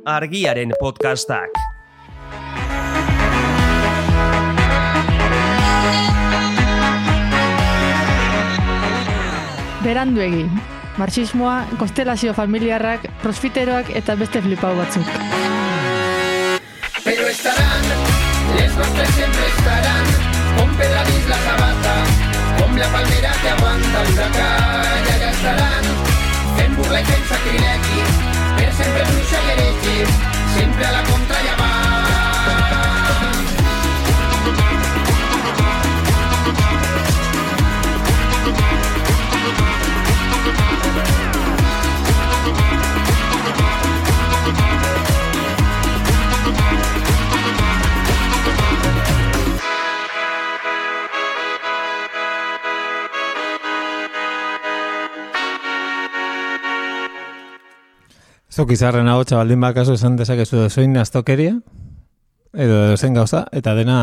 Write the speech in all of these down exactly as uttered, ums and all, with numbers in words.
Argiaren podcastak. Beranduegi, marxismoa, konstelazio familiarrak, prosfiteroak eta beste flipau batzuk. Pero estarán, les nostres siempre estarán, con Pedradís la sabata, con la palmera que aguanta el huracán, allá estarán, fent burla i fent sacrilegi, per sempre bruixa i heregi, sempre a la contra ja van. Zuk izarren hau txabaldin bakazu esan dezakezu dozoin astokeria, edo dozen gauza, eta dena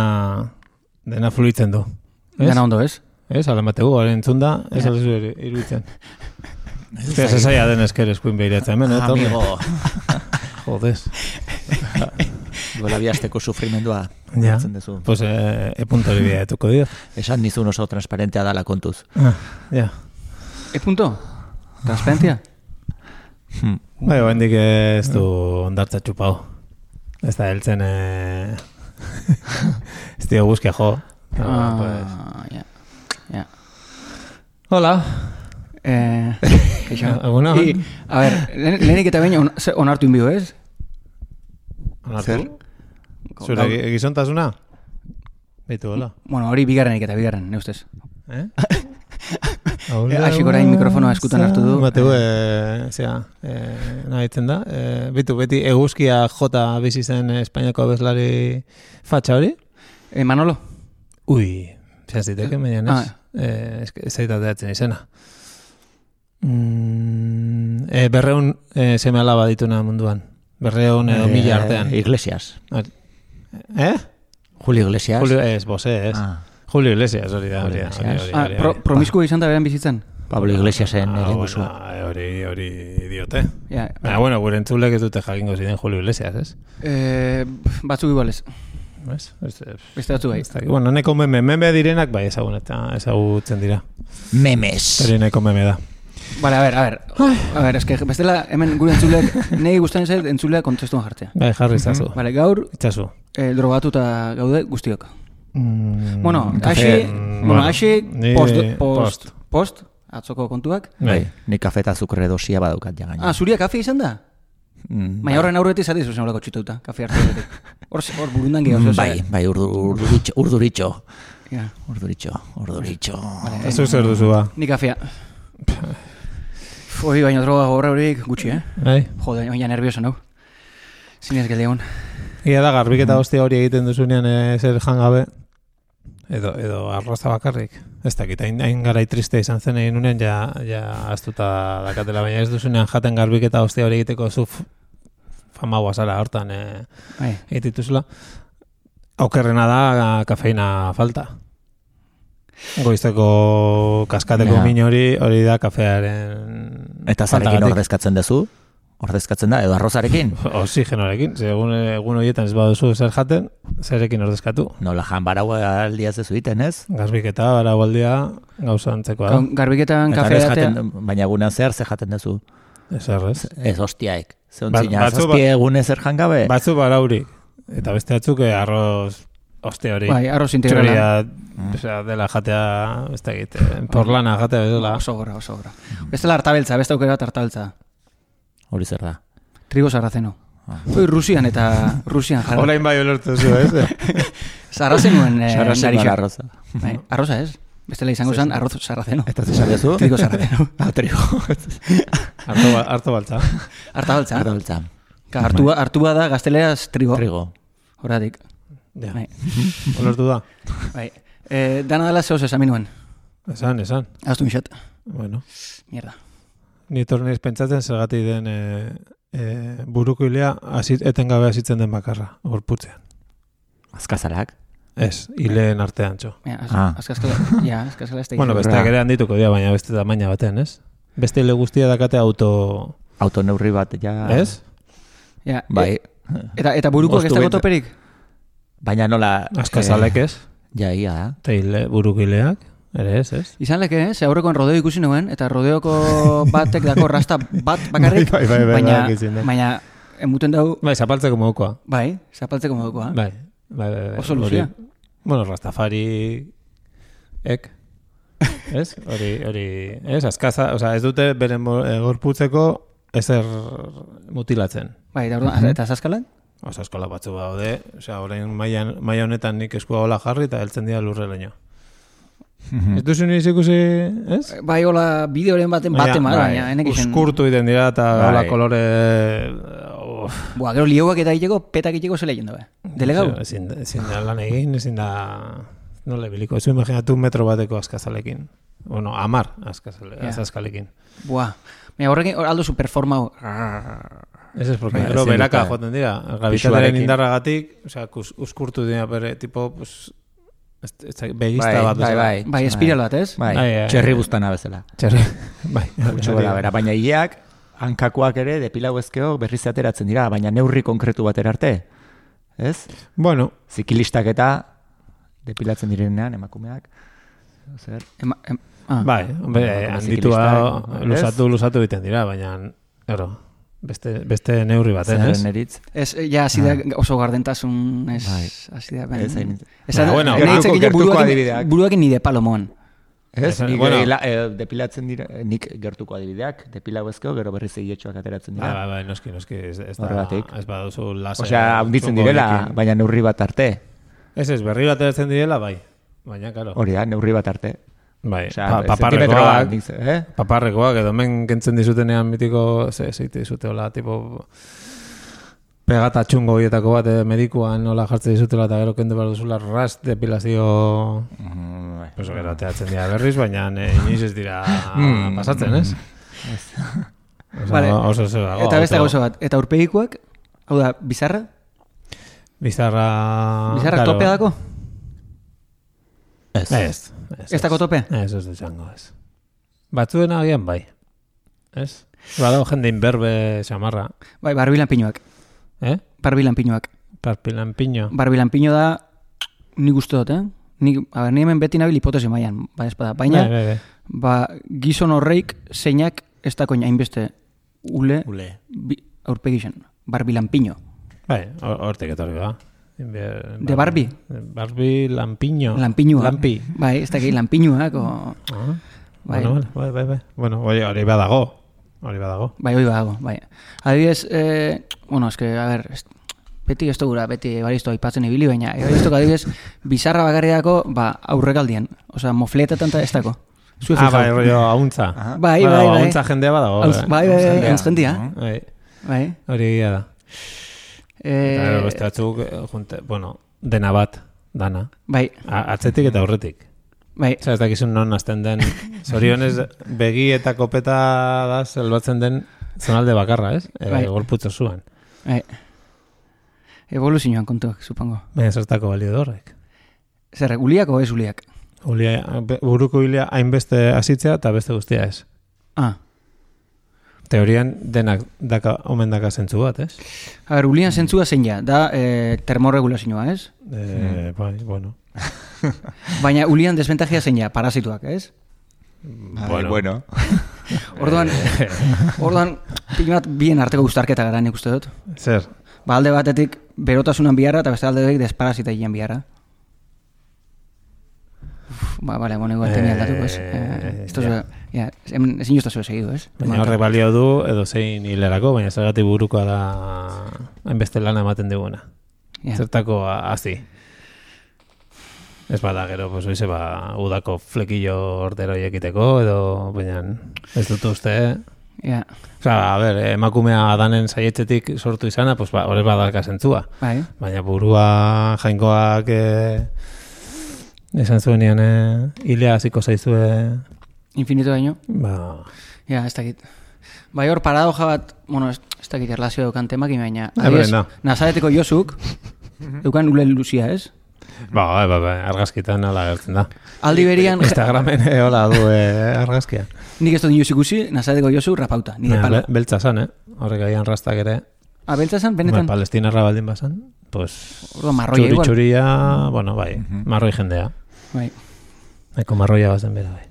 dena fluitzen du. Dena ondo, ez? Ez, alamategu, garen entzunda, ez yeah. Aldezu iruditzen. Ez esaia den esker eskuin behiratzen, hemen, eh? Amigo. Jodez. Gola biazteko sufrimendua. Ja, pues eh, e punto hori bia etuko dio. Esan nizun oso transparentea dala kontuz. Ah, ja. E punto? Transparentia? Hmm. Bai, oendik ez du ondartza txupau. Ez da heltzen eh... ez dio guzkia jo. No, ah, pues... ja. Ja. Hola. Eh, Alguna? I, a ver, lehenik eta baina on, onartu inbio, ez? Onartu? Zure egizontasuna? Beitu, hola. Bueno, hori bigarrenik eta bigarren, ne ustez. Eh? Aixik orain mikrofonoa eskutan hartu du. Bateu, e, zera, e, nahi ditzen da. E, bitu, beti eguzkia jota bizi zen Espainiako abeslari fatxa hori? E, Manolo? Ui, zean ziteke, median ez. Ah. Ez e, zaitateatzen izena. Mm, e, berreun e, seme alaba dituna munduan. Berreun edo e, mila artean. Iglesias. Eh? Julio Iglesias. Julio, ez, bose, ez. Ah. Julio Iglesias, hori da. Hori, hori, hori, ah, pro, promiskua izan da beran bizitzen? Pablo Iglesiasen ah, egin duzu. Bueno, hori, hori diote. Ja, Baina, bueno, gure entzulek ez dute jakingo ziren Julio Iglesias, ez? Eh, batzuk igualez. Ez? Beste batzu bai. Bueno, neko meme, meme direnak bai ezagun eta ezagutzen dira. Memes. Hori neko meme da. Vale, a ver, a ver. A ver, eske bestela hemen gure entzulek, nei gustatzen zait entzulea kontestuan jartzea. Bai, jarri zazu. Vale, gaur itzazu. Eh, drogatuta gaude guztiok. Mm, bueno, aixi, mm, bueno, aixi post, post, post, atzoko kontuak. Bai, ni kafe eta azukre dosia badaukat ja gaina. Ah, zuria kafe izan da? Mm, Baina horren aurretik zati zuzen horako txituta, kafe hartu edetik. Hor, hor burundan gehiago. Bai, bai, urduritxo, urduritxo. Ja. Urduritxo, urduritxo. Ez zuk zer duzu ba? Ni kafea. Hoi, baina droga horre horik gutxi, eh? Bai. Jode, baina nervioso, nau. Zinez geldeon. Ia da, garbik eta hostia hori egiten duzunean e, zer jangabe, edo, edo arroza bakarrik. Ez dakit, hain, hain garai triste izan zen egin unean, ja, ja aztuta dakatela, baina ez duzunean jaten garbik eta hostia hori egiteko zu fama guazala hortan e, egitituzula. Aukerrena da kafeina falta. Goizteko kaskateko ja. Min hori, hori da kafearen... Eta zarekin ordezkatzen dezu? Ordezkatzen da, edo arrozarekin? Oxigenoarekin, egun, egun horietan ez baduzu zer jaten, zerekin ordezkatu. Nola jan barau aldia zezu iten, ez? Garbiketa, barau aldia gauza antzekoa da. Garbiketan kafe jaten... Baina egunean zer, zer jaten dezu? Ez errez. Ez hostiaik. Zeontzina, ba, zazpie egune zer jangabe? Batzu baraurik. Eta beste batzuk arroz... Oste hori. Bai, arroz integrala. Mm. Osea, dela jatea, ez da egite, porlana jatea bezala. Oso gora, oso gora. Bestela hartabeltza, beste aukera bat hartabeltza. Hori zer da? Trigo sarrazeno. Ah. Hoi Rusian eta Rusian jarra. Olain bai olortu zu, ez? Sarrazenuen eh, sarrazeno arroza. Bai, arroza ez? Bestela izango zen arroz sarrazeno. Eta zesarezu? Trigo sarrazeno. Ah, trigo. Harto baltza. Hartabeltza. Hartabeltza. Hartua da gazteleaz trigo. Trigo. Horatik. Ja. Bai. Olortu da. Bai. Eh, dana dela zehoz esan minuen. Esan, esan. Aztu mixat. Bueno. Mierda. Ni torneiz pentsatzen zergatik den e, e, buruko hilea azit, etengabe azitzen den bakarra, gorputzean. Azkazalak? Ez, hileen artean txo. Ja, az, ah. azkazkala, ja, azkazkala ez da. Bueno, besteak ere handituko dira, baina beste tamaina batean, ez? Beste hile guztia dakate auto... Autoneurri bat, ja... Ez? Ja, Bai. Eta, eta burukoak ez Moztu dago bent- toperik? Baina nola... Askazalek ez, Ja, ia da. teile burukileak, ere ez, ez? Izan leke, eh? Ze aurrekoan rodeo ikusi nuen, eta rodeoko batek dako rasta bat bakarrik, Bai, bai, bai, bai, baina, bai, izin da. baina emuten dau, Bai, zapaltzeko modukoa. bai, zapaltzeko modukoa. Bai, bai, bai. bai. Oso luzea. Hori- Bueno, Rastafari ek, ez? Hori, hori, ez? Azkaza, osea, ez dute beren mo- eh, gorputzeko ezer mutilatzen. Bai, eta orduan, eta zaskalak? Osa, eskola batzu daude, osea, orain mailan maila honetan nik eskua hola jarri eta heltzen dira lurreraino. Ez duzu niz ikusi, ez? Bai, hola, bideoren baten baten bat, baina, enek izen... Uskurtu iten dira eta Bai. hola kolore... Uf, Boa, gero lieuak eta egiteko, petak egiteko zela jendo, be. Delegau? Ezin, ezin da lan egin, ezin da... Nola biliko, ez imaginatu metro bateko askazalekin. Bueno, amar askazale, Ja. azazkalekin. Boa, baina horrekin hor aldo superformau. Ez ez, porque Bai, gero ezin beraka dute. joaten dira. Gravitatearen Pisuarekin. indarragatik, osea, kus- uskurtu dira bere, tipo, pues... Ez, ez, begista Bai, bat bai, bezala. bai. Bai, espiral bat, ez? Bai, Bai, bai, txerri bai. buztana bezala. Txerri, bai. Gutxo gora bera, baina hileak, hankakoak ere, depilau ezkeo berriz ateratzen dira, baina neurri konkretu batera arte. Ez? Bueno, Zikilistak eta depilatzen direnean emakumeak. Zer? Ema, em, ah. bai, hombre, Bueno, handitua ziklistak, luzatu, luzatu egiten dira, baina, ero, beste, beste neurri baten, ez? Zerren eritz. Ez, ja, hasi da oso gardentasun, ez, Bai. hasi da, ben. Ez, hain- Ez, Baina, bueno, nahi gertuko- itzakile gertuko buruakin- adibideak. buruakin nide palomoan. Ez, Ez, nik bueno. bueno. e, depilatzen dira, nik gertuko adibideak, depilau ezkeo, gero berriz egietxoak ateratzen Bai, dira. bai, bai, noski, noski, ez, ez da, Horregatik. ez baduzu laser. Osea, handitzen txungo direla, horiekin. baina neurri bat arte. Ez ez, berri bat eratzen direla, bai. Baina, karo. Hori da, neurri bat arte. Bai, Osea, pa, zentimetro bat, paparrekoak, nik ze- eh? paparrekoak, edo men kentzen dizutenean mitiko, ze, zeite dizute, hola, tipo, pegata txungo horietako bat eh, medikuan nola jartzen dizutela eta gero kendu behar duzula rast depilazio Mm, bai. oso gero ateratzen dira berriz, baina eh, inoiz ez dira pasatzen, ez? Oso, Vale. oso oso dago. Eta beste auto- gauza bat. Eta urpegikoak, hau da, bizarra? Bizarra... Bizarra claro. topea dako? Ez. Ez. Ez, Ez dako tope? Ez, ez izango, ez. Batzuen agian bai. Ez? Badago jende inberbe xamarra. Bai, barbilan pinuak. Eh? Barbilan pinuak. Parpilan piño. Barbilan pinu da, nik uste dut, eh? Nik, a ber, ni hemen beti nabil hipotesi maian, ba, espada. Baina, Bai, bai, bai. ba, gizon horreik zeinak ez dako hainbeste ule, Ule. bi, aurpegixen. Barbilan pinu. Bai, hor- hortik etorri da. Inbe- De Barbie? Barbie Lampiño. Lanpinua. Lampi. Bai, ez dakit lanpinuak, o... Ah, Bai. Bueno, bai, bai, bai. Bueno, hori, hori badago. Hori badago. Bai, hoi badago, bai. Adibidez, eh, bueno, eske, a ber, ez, beti ez gura, beti baristo aipatzen ibili, baina ebariztok adibidez, bizarra bakarriako, ba, aurrekaldien. Osea, mofletetan eta ez dako. Zue Ah, fijau. bai, rollo hauntza. Bai, Badago, bai, bai. Hauntza jendea badago. Hauntz- bai, bai, bai, Jendea. entzkendia. Bai, Bai. hori egia da. Eta gero Eh, beste batzuk, eh, junte, bueno, dena bat, dana. bai, A- Atzetik eta aurretik. bai. Osa, ez dakizun non azten den. Zorionez, begi eta kopeta da zelbatzen den zonalde bakarra, ez? E, Bai. Gorputzo zuan. bai. Evoluzioan kontuak, supongo. Baina zertako balio da horrek. Zer, uliak o ez uliak? Ulia, be- buruko hilea hainbeste hasitzea eta beste guztia ez. Ah, Teorian denak daka, omen daka zentzu bat, ez? a ber, ulian zentzua zein ja, da eh, termorregulazioa, ez? E, bai, bueno. Baina ulian desventajia zein ja, parasituak, ez? Bai, bueno. Orduan, orduan, pilo bat bien arteko guztarketa gara nik uste dut. Zer? Ba, alde batetik berotasunan biharra eta beste alde batetik desparasita gian biharra. Uf, ba, bale, bueno, igual tenia aldatuko, ez? Eh, esto ja. es, ja, hemen ezin jozta zuen segidu, ez? Baina horrek balio du edo zein hilerako, baina zergatik burukoa da hainbeste lana ematen diguna. Ja. Zertako a- hazi. Ez bada gero, pues oize, ba, udako flekillo ordero ekiteko, edo, baina ez dut uste, Ja, Osa, a ber, emakumea danen saietzetik sortu izana, pues ba, horrez badalka zentzua. bai. Baina burua jainkoak eh, esan zuenean eh, hilea hasiko zaizue, Infinito daño. ba, Ja, ez dakit. Bai hor paradoja bat, bueno, ez, ez dakit erlazio daukan temak, baina, Ah, adibidez, beren da. Nazareteko Josuk, eukan ule luzia, ez? ba, ba, ba, ba, argazkitan ala gertzen da. Aldi berian, Instagramen eh, hola du eh, argazkia. nik ez dut inoz ikusi, Nazareteko Josu rapauta, nire Baina, palo. be- beltza zan, eh? Horrek agian rastak ere. Abeltza zen, Ba, benetan. Palestinarra baldin bazan, pues... Orduan, marroia igual. Txuri-txuria, bueno, bai, Mhm. marroi jendea. Bai. Eko marroia bazen bera, bai.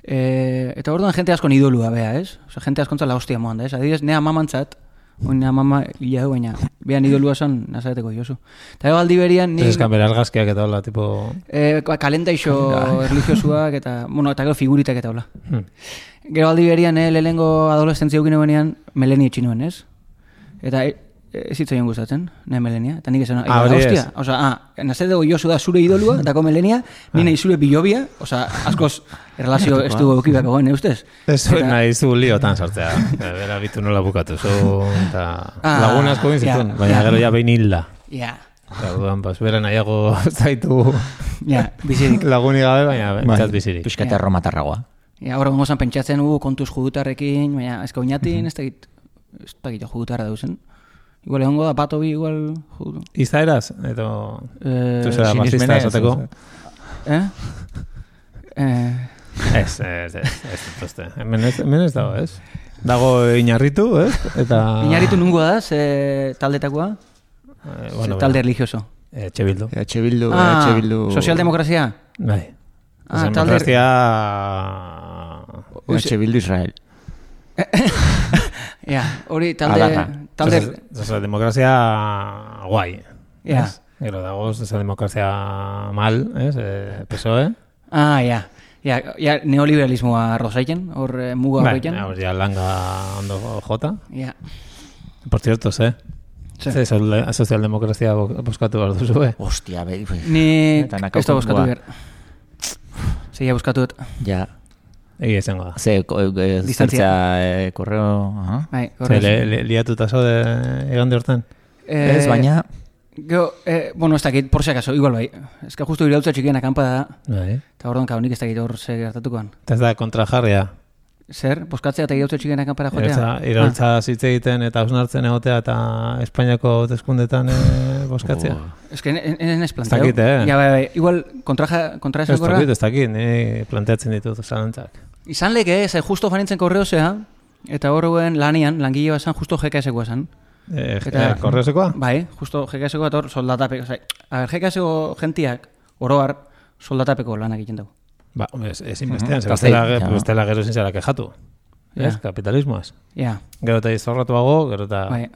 E, eta orduan jente askon idolua, bea, ez? Osa, jente askontzala hostia moan da, ez? Adibidez, nea mamantzat, oin nea mama hila du, baina behan idolua zen nazareteko jozu. Eta ego aldi berian, ni... Ez bera argazkiak eta hola, tipo... E, kalentaixo religiosuak eta, bueno, eta gero figuritak eta hola. Hmm. Gero aldi berian, eh, lehenengo adolescentzia eukine benean, Meleni etxinuen, ez? Eta e, ez hitz egin gustatzen, nahi Melenia. Eta nik esan, Ah, hori ez. hostia, oza, ah, nazateko jozu da zure idolua, dako Melenia, ni nahi zure bilobia, oza, askoz relazio ez du eukibako goen, ustez? Ez zuen Eta- nahi zu liotan sartzea. Bera bitu nola bukatu zu, eta Ah, lagun asko egin zituen, ja, baina ja. gero ja behin hilda. Ja, Eta orduan, pues, bera nahiago zaitu ja, bizirik. lagunik gabe, baina bentsat bizirik. Piskat erromatarragoa. Ja, horre gongo zan pentsatzen, u, kontuz jugutarrekin, baina ez oinatin, ez dakit, ez dakit jugutarra dauzen. Igual egongo da, bato bi, igual... jugu- Izaeraz, edo... Eh, Tu zera basista sinismenez, esateko. eh? Eh, Ez, ez, ez, ez, ez, hemen ez, hemen ez dago, ez? Dago inarritu, ez? Eta... Inarritu nungoa da, ze taldetakoa? Eh, Ze bueno, talde religioso. Etxe bildu. Etxe bildu, Ah, etxe bildu... sozialdemokrazia? Bai. Ah, talde... Demokrazia... Etxe bildu Israel. Ja, hori talde... Adarra. talde... Sozialdemokrazia guai. Ja. ez? Gero dago sozialdemokrazia mal, ez? Eh, P S O E. Ah, ja. Ja, ja, neoliberalismoa rozaiten, hor eh, muga Bai, horrekin. hor ja langa ondo jota. Ja. Por cierto, ze? Ze. Ze sol- sozialdemokrazia bo- boskatu behar duzu, eh? Hostia, be... Ni Eta ez da nakauko- boskatu buah. behar. Zeia boskatu dut. Ja. Egia izango da. Ze, ko- e, Distantzia. zertzea, e, korreo... Aha. Bai, Ze, horrez. li- li- liatuta zaude egande hortan? Eh, Ez, baina... Gero, eh, bueno, ez dakit, por si acaso, igual bai. Ez que justu irautza txikiena kanpa da, Bai. eta orduan kaunik ez dakit hor ze gertatukoan. Eta ez da kontrajarria. Zer, boskatzea eta irautza txikiena kanpara jotea? Iraultza, iraultza zitze egiten eta hausnartzen egotea eta Espainiako hauteskundetan eh, boskatzea. Oh. Ah, ez que en ez planteau. dakit, eh? Ja, bai, bai, igual kontra, kontra Ez esan korra. dakit, ez dakit, ni planteatzen ditut zalantzak. Izan leke, ze justo fanintzen korreozea, eta horren lanian, langile bat zan, justo G K S-koa zan. Eh, Eta- eh, korreosekoa? Bai, justo G K S-koa eta hor soldatapeko. Oza, a ber, G K S-ko gentiak, oroar, soldatapeko lanak egiten dugu. Ba, ez, ezin bestean, Mhm. ze bestela, Gaztei, ge- ja. bestela gero ezin zara kejatu. Ja. Ez, kapitalismoaz. Ja, Gero eta izorratuago, gero eta... bai.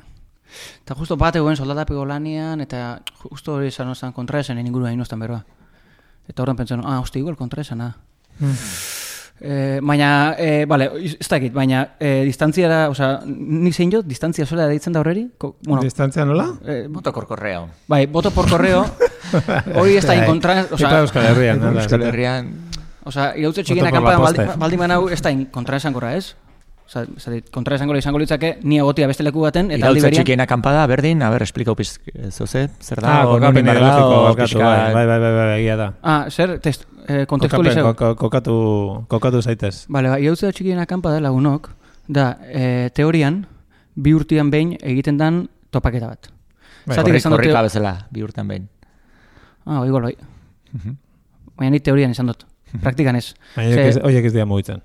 Eta justo bat egoen soldatapeko lanian, eta justo hori izan ozan kontra esan, inguru hain oztan berba. Eta horren pentsan, ah, hosti, igual kontra esan, ah. Eh, baina, eh, vale, ez dakit, baina eh, distantziara, oza, nik zein jot, distantzia sola deitzen da horreri? Ko, bueno, Distantzia nola? eh, Moto korkorreo. bai, voto por correo, hori ez da Bai. inkontra, Ipa oza, Euskal Herrian, nola? Euskal Herrian... oza, irautze txikina Voto por la kanpadan poste. baldi manau ez da kontra esankorra, ez? Oza, kontra esankorra izango litzake, ni egotia beste leku baten, eta aldi Iraultza berian, txikiena kanpada, berdin, a ber, esplikau pizk, zoze, zer da, Ah, o kokapen non inbar ideologiko dago, barkatu, pixka- bai, bai, bai, bai, bai, egia da. ah, zer, test, eh, Kokapen, kontekstualizau. ko- kokatu, kokatu zaitez. Bale, ba, irautze txikiena kanpada lagunok, da, eh, teorian, bi urtian behin egiten dan topaketa bat. Bai, Zatik Korri- esan dute- korrika bezala, bi urtan behin. Ah, igual bai. Baina ni teorian esan dut. Praktikan ez. Baina Ze- horiek ez- horiek ez dira mugitzen.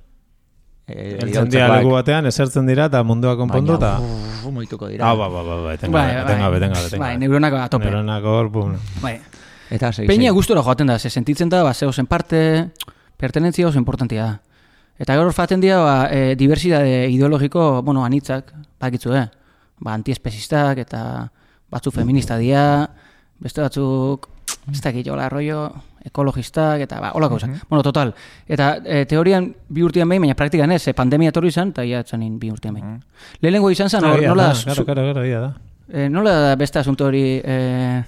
E, Eltzen dira leku batean, esertzen dira eta mundua konpondu eta... Baina, moituko dira. Ah, ba, ba, ba, ba, etengabe, Bai, bai. etengabe, etengabe, etengabe. Bai, neuronak atope. Neuronak hor, bum. Bai. Eta segi, Peña segi. gustora joaten da, ze sentitzen da, ba, zeo zen parte, pertenentzia oso importantia da. Eta gaur faten dira, ba, e, diversidade ideologiko, bueno, anitzak, bakitzu, eh? Ba, antiespezistak eta batzuk feminista dira, beste batzuk, ez dakit, hola, rollo, ekologistak, eta ba, hola gauza. Bueno, total. Eta e, teorian bi urtean behin, baina praktikan ez, e, pandemia etorri izan, eta ia etzanin bi urtean behin. Lehenengo izan zen, hor, Egia nola, da, zu- Karo, karo, karo, egia da. eh, nola da beste asunto hori, eh,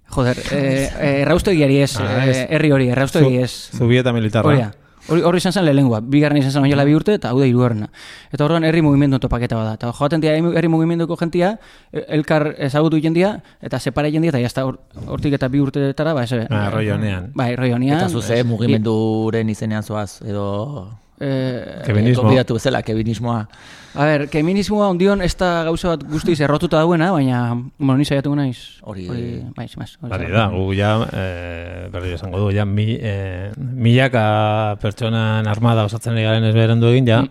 joder, eh, eh, erraustegiari ez, Ah, eh, ez. herri hori, erraustegi ez. Zubieta militarra. Hori da. Hori hori izan zen lehenengoa, bigarren izan zen oinala bi urte eta hau da hirugarrena. Eta horren herri mugimendu topaketa bada. Eta joaten dira herri mugimenduko jentia, elkar ezagutu jendia eta separa jendia eta jazta hortik eta bi urteetara, ba, ese. Ah, rollo honean. Bai, rollo honean. Eta zuze mugimenduren izenean zoaz, edo... Eh, Feminismo. Konbidatu bezala, keminismoa. a ber, feminismoa ondion ez da gauza bat guztiz errotuta dauena, baina, bueno, ni saiatu naiz. Hori- bai, zemaz. Bari da, gu ja, eh, berri esango du, ja, mi, eh, milaka pertsonan armada osatzen ari garen ez berendu egin, ja,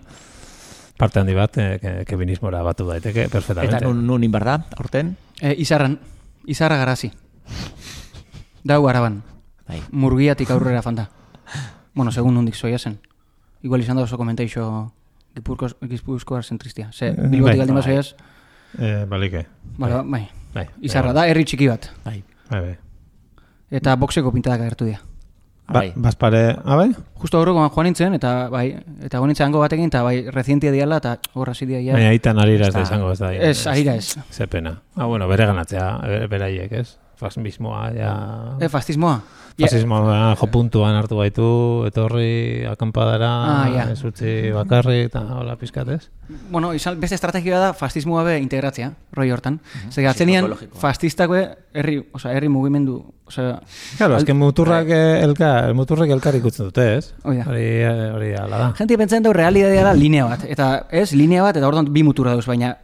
parte handi bat, eh, kebinismora batu daiteke, perfectamente. Eta nun, nun inbar da, aurten? E, izarran, izarra garazi. Dau araban. Bai. Murgiatik aurrera fanda. Bueno, segun nondik zoia zen. Igual izan da oso komenteixo Gipuzkoar zentristia. Ze, Bilbotik aldin bazoiaz. Eh, balike. Bale, bai. Bai. Izarra da, herri txiki bat. Bai. Bai, bai. Eta boxeko pintadak agertu dira. Ba, Bai. Bazpare, abai? Justo aurrekoan joan nintzen, eta bai, eta joan nintzen hango batekin, eta bai, rezientia diala, eta horra zidia ja. Baina aitan arira ez da Ez da. izango, ez da. Ez, arira ez. Ze pena. Ah, bueno, bere ganatzea, bere- beraiek, ez? Fascismoa, ja... E, fascismoa. Fascismoa jo puntuan hartu baitu, etorri akampadara, Ah, ja. ez utzi bakarri, eta hola pizkat, ez? Bueno, izan, beste estrategia da fascismoa be integratzea, roi hortan. Zer atzenian, psikologikoa. fascistak be, herri, osea, herri mugimendu, osea... Claro, azken muturrak eh, elkar, muturrak elkar ikutzen dute, ez? Hoi da. Hori, eh, hori ala da. Gente pentsatzen dau realitatea da linea bat, eta ez, linea bat, eta orduan bi muturra dauz, baina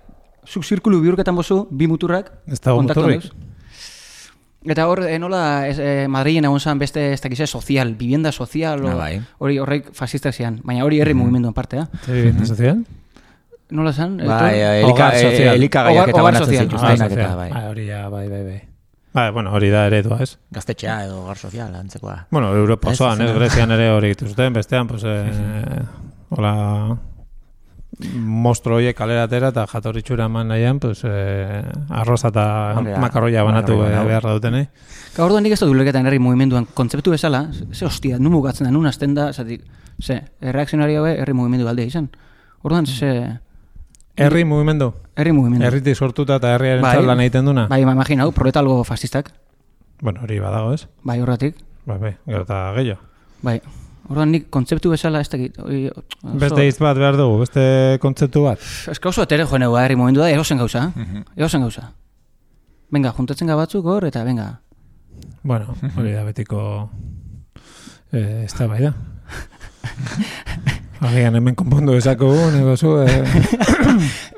zuk zirkulu bihurketan bozu, bi muturrak Ez dago kontaktu muturrik. dauz. Eta hor, eh, nola, ez, eh, Madrilen egon zan beste, ez dakize, sozial, vivienda sozial, o- Ah, bai. hori horreik fascistak zian, baina hori herri mugimenduan partea. Zer vivienda sozial? Nola zan? Bai, Etor- elika, Hogar sozial. elikagaiak Hogar- eta hogar banatzen sozial. zituztenak sozial. eta bai. Ah, hori ja, bai, bai, bai. Bai, bueno, hori da eredua, ez? Gaztetxea edo gar sozial, antzekoa. Bueno, Europa Ez, osoan, ez, ez, ez. Grezian ere hori dituzten, bestean, pues, eh, hola, mostro horiek kalera atera eta jatorritxura eman nahian, pues, eh, arroza eta Hori da, makarroia banatu makarroia, eh, hau. beharra dutenei. Ka orduan nik ez dut ulerketan herri mugimenduan kontzeptu bezala, ze hostia, nun mugatzen da, nun azten da, zatik, ze, erreakzionari haue herri mugimendu aldea izan. Orduan, ze, Herri mugimendu, herri mugimendu. herritik sortuta eta herriaren Bai. lan egiten duna. Bai, ma imaginau, proletalgo fascistak, Bueno, hori badago, ez? bai, horretik, Bai, bai, gero eta gehiago. bai. Orduan nik kontzeptu bezala ez dakit. oi, oso- Beste hitz bat behar dugu, beste kontzeptu bat. Ez ka oso etere joan herri mugimendu da, erosen gauza, erosen gauza. Venga, juntatzen ga batzuk hor, eta venga. Bueno, hori da betiko eh, ez da bai da. Agian hemen konpondu ezakugu, nego zu, eh,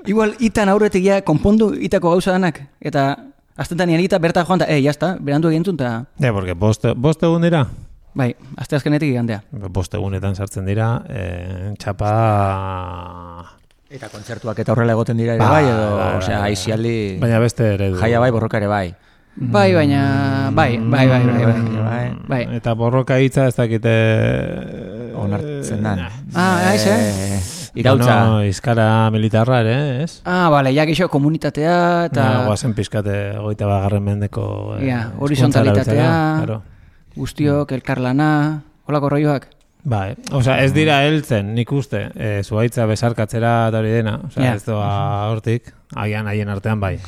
Igual, itan aurretik ja, konpondu itako gauza danak, eta astentan nian ita berta joan, eta, eh, jazta, berandu egintzun, eta, ja, porque bost, bost egun dira. bai, aste azkenetik igandea. Bost egunetan sartzen dira, eh, txapa... Eta kontzertuak eta horrela egoten dira ere Bai, bai, edo, bai, bai, osea, bai. aizialdi, Baina beste eredu. jaia bai, borroka ere bai. Bai, baina, bai, bai, bai, bai, bai. Bai. Bai. Eta borroka hitza ez dakite... Onartzen dan. Ah, aiz, eh? Eh, Irautza. Bueno, izkara militarra ere, ez? Ah, bale, ja gixo komunitatea, eta Eta... Guazen pizkate goita bagarren mendeko... eh, Ja, hizkuntza horizontalitatea. erabiltzera, claro. guztiok, elkarlana, holako rolloak. Bai, osea, ez dira heltzen, nik uste, e, zuaitza besarkatzera eta hori dena, osea, Ja. ez doa hortik, agian haien artean bai,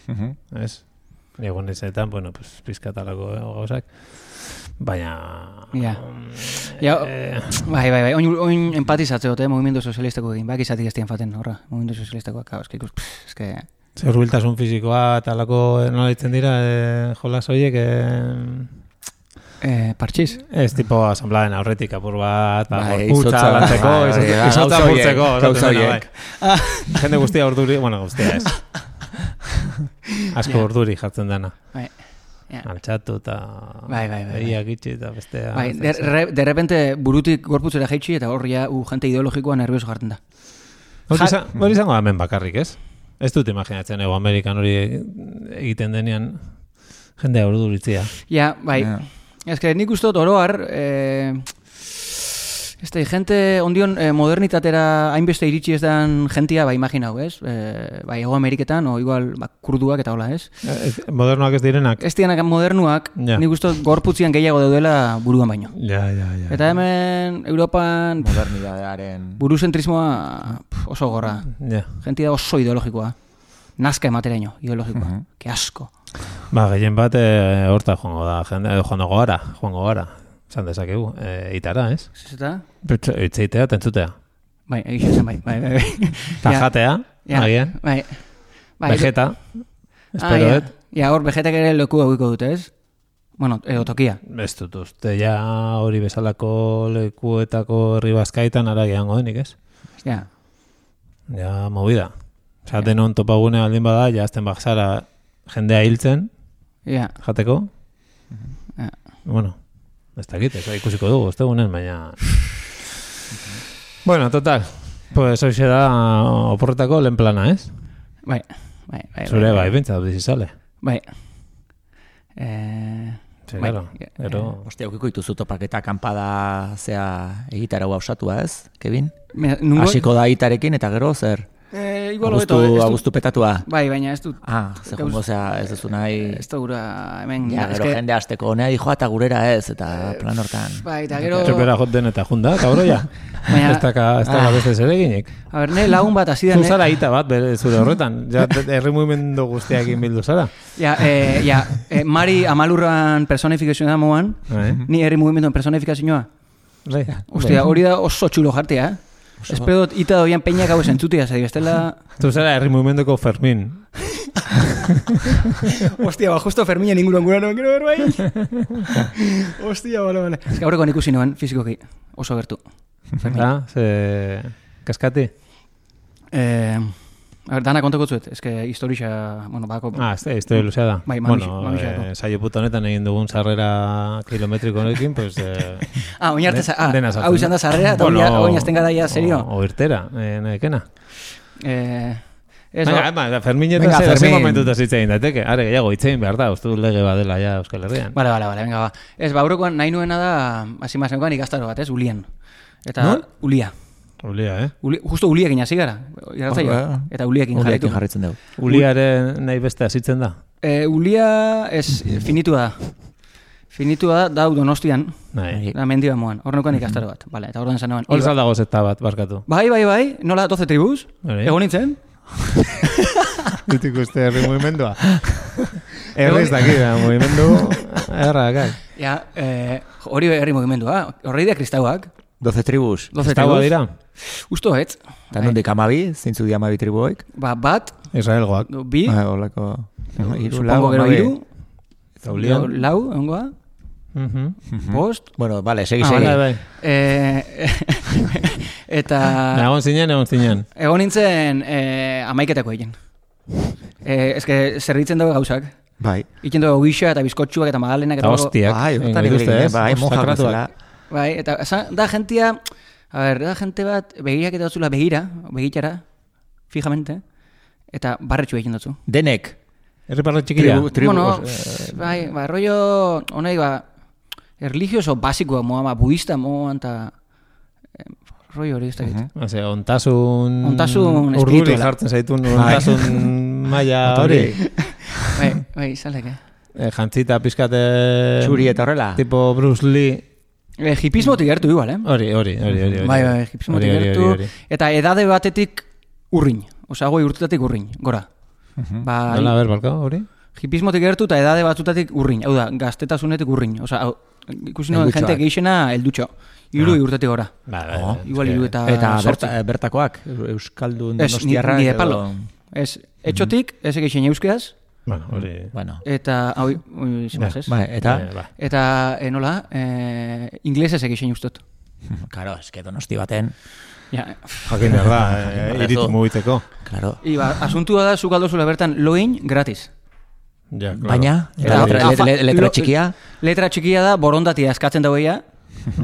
Mhm. ez? Egon ezetan, bueno, pues, pizkatalako gauzak, baina... Ja. Ja, eh, bai, bai, bai, oin, oin empatizatze dute, mugimendu sozialistako egin, bak izatik ez dien faten, horra, mugimendu sozialistakoak, hau, eski ikus, pff, eske... Zer hurbiltasun fisikoa eta alako nola ditzen dira, e, jolas horiek, e, Eh, partxiz? ez tipo asambladen aurretik apur bat, ba, Bai, gorputza izotza, lantzeko, bai, izotza- bai, izotza gauza horiek, apurtzeko, gauza esaten dena, horiek. bai. Jende guztia urduri, bueno, guztia ez. Asko Ja. urduri jartzen dena. Bai, ja. Altxatu eta Bai, bai, bai, bai. begiak itxi eta bestea. Bai, de, re, de repente burutik gorputzera jaitsi eta hor ja, u, jente ideologikoa nervioso jartzen da. Hori izan- hori izango da hemen bakarrik, ez? Ez dut imaginatzen, ego Amerikan hori egiten denean jendea urduritzia. Ja, bai. Ja. Ez que nik uste dut oroar, eh, ez da, jente ondion eh, modernitatera hainbeste iritsi ez dan jentia, ba, imaginau, ez? Eh, bai, Ego Ameriketan, o igual, ba, kurduak eta hola, ez? Eh, ez- Modernoak ez direnak? Ez dianak modernuak, Ja. nik uste dut gorputzian gehiago daudela buruan baino. Ja, ja, ja. Eta hemen, Europan, pff, Modernidadearen... buruzentrismoa pff, oso gorra. Ja. Jentia da oso ideologikoa. Nazka emateraino, ideologikoa. Mhm. Que asko. Ba, gehien bat e, horta joango da, jende, edo joango gara, joango gara. Esan dezakegu, e, itara, ez? Ez eta? Itzeitea, tentzutea. Bai, egin zen, bai, bai, bai. bai. Ta Ja, jatea, ja, agian, Bai. Bai, vegeta, Ah, espero, ja. et? Ja, hor vegetak ere leku eguiko dute, ez? Bueno, edo tokia. Ez dut uste, ja hori bezalako lekuetako herri bazkaitan ara gehango denik, ez? Ja. Ja, movida. Osa, denon topagune aldin bada, ja azten bakzara jendea hiltzen, Ja. jateko. Ja. Bueno, ez dakit, ez ikusiko dugu, ez dugunen, baina... Bueno, total. Pues hoxe da oporretako lehen plana, ez? Bai, bai, bai. Zure bai, bintza dut izizale. Bai. Eh, Sí, bai, claro. eh, Pero... Hostia, ukiko dituzu topaketa kanpada zea egitara hausatua, ez, Kevin? Me- nungo- Hasiko da itarekin eta gero zer? Eh, igual Agustu, hobeto, ez dut- agustu petatua. Bai, baina ez dut. Ah, ze jongo zea ez duzu nahi... Ez da gura hemen... Ja, ez gero que- jende hasteko honea dijoa eta gurera ez, eta plan hortan. Bai, eta gero... Txopera joten eta junda, kabro ja. Baina- Ez daka, ez daka beste zereginik. A ber, ne lagun bat hasi da... Zu zara ita bat, bere zure horretan. Ja, herri mugimendu guztiakin bildu zara. Ja, eh, ja, eh, Mari Amalurran personifikazioa da moan, Bai. ni herri mugimenduen personifikazioa. Bai. Ostia, hori da oso txulo jartea, eh? Espero dut ita doian peinak hau esentzutia, zari, bestela... Zu zara herri mugimenduko Fermin. Ostia, ba, justo Ferminen inguruan gura noen, gero berbai. Ostia, bale, bale. Ez que aurrekoan ikusi noen, fizikoki, oso gertu. Fermin. Ah, ze... Kaskati? Eh, a ber, dana kontako zuet, ez que historia, bueno, bako... Ah, ez da, historia luzea da. Bai, mamixe- bueno, mamixeako. eh, saio puta honetan egin dugun sarrera kilometriko honekin, pues... Eh, Ah, oin arte, za- ah, dena sartzen hau izan da sarrera, eta Bueno, oin azten gara ia, serio. O, o irtera, eh, nahikena. Eh, ez, Venga, ba- ema, Ferminetan Venga, zera, ze Fermin. momentuta zitzein dateke. Are, gehiago, itzein behar da, uste dut lege badela ja Euskal Herrian. Bale, bale, bale, venga, ba. Ez, ba, aurrekoan nahi nuena da, hasi mazenkoan ikastaro bat, ez, Ulien. Eta, Non? Ulia. Ulia, eh? Uli, justo Uliekin hasi gara, irratzaio. Ah, Eta Uliekin jarraitu. Uliekin jarritzen dugu. Uliaren nahi beste azitzen da. Eh, Ulia, ez, finitua da. Finitua da, dau Donostian, Nahi. da mendiba moan. Hornekoan ikastaro bat, bale, eta ordan zanoan. Hor zaldago zeta bat, barkatu. Bai, bai, bai, nola doce tribus, Bai. egon nintzen. Dut ikuste herri mugimendua. Herri ez daki, da, mugimendu errakak. Ja, eh, hori herri mugimendua, horrei da kristauak. doce tribus. doce Estagoa tribus. dira? Usto ez. Eta nondik amabi, zeintzu di amabi tribuoik? Ba, bat, Israelgoak. bi, Ah, holako... Iru, lau, supongo gero hamabi. iru, Eta Ulian. lau, ongoa, Mhm. bost, Bueno, vale, segi, Ah, segi. Bai, bai. eh, eta Egon zinen, egon zinen. egon nintzen eh, amaiketako egin. Eh, ez que zerritzen dago gauzak. Bai. Iken dago gisa eta bizkotxuak eta magalenak Eta eta dago- hostiak. Bai, egingo hortan dituzte, ibili, ez? bai, moja Sakratuak. bezala. Bai, eta esan- da gentia, a ber, da gente bat begirak eta datzula begira, begitara, fijamente, eta barretxu egin dutzu. Denek. Herri parra txikia. Tribu, tribu, bueno, eh, bai, ba, rollo, honai, ba, erligioso basikoa moa, ba, budista moa, eta eh, rollo hori ez da gitu. Ose, ontasun... Ontasun Urduri espirituala. jartzen zaitun ontasun maila hori. Bai, bai, zalek, eh? Eh, jantzita pizkate... Txuri eta horrela. Tipo Bruce Lee. Eh, hipismotik gertu igual, eh? Hori, hori, hori, hori. hori. Bai, bai, hipismotik Hori, hori, gertu, hori, hori. eta edade batetik urrin, osea, goi urtetatik urrin, gora. Ba, Nola, ber, balka, hori? hipismotik gertu eta edade batzutatik urrin, hau da, gaztetasunetik urrin, osea, hau, ikusi noen Heldutxoak. jente geixena heldutxo, hiru Ah. urtetik gora. Ba, ba, Oh, ba, Igual eske- hiru eta Eta sortzi. berta, bertakoak, Euskaldun Ez, ni, donostiarrak. ni de edo- palo. Ez, etxotik, ez egeixen euskeaz, Bueno, hori... Bueno, eta, hau, ui, zimaz, ez? bai, eta, Eh, ba. Eta, eh, nola, eh, inglesez egeixen ustot. karo, eske donosti baten, Ja, Jakin behar da, eh, Eso. iritu mugiteko. karo. iba, asuntua da, zuk aldozula bertan loin gratis. Ja, claro. Baina, Eta- eta letra, eta- letra, afa- letra lo- txikia, Letra txikia da, borondatia eskatzen daueia,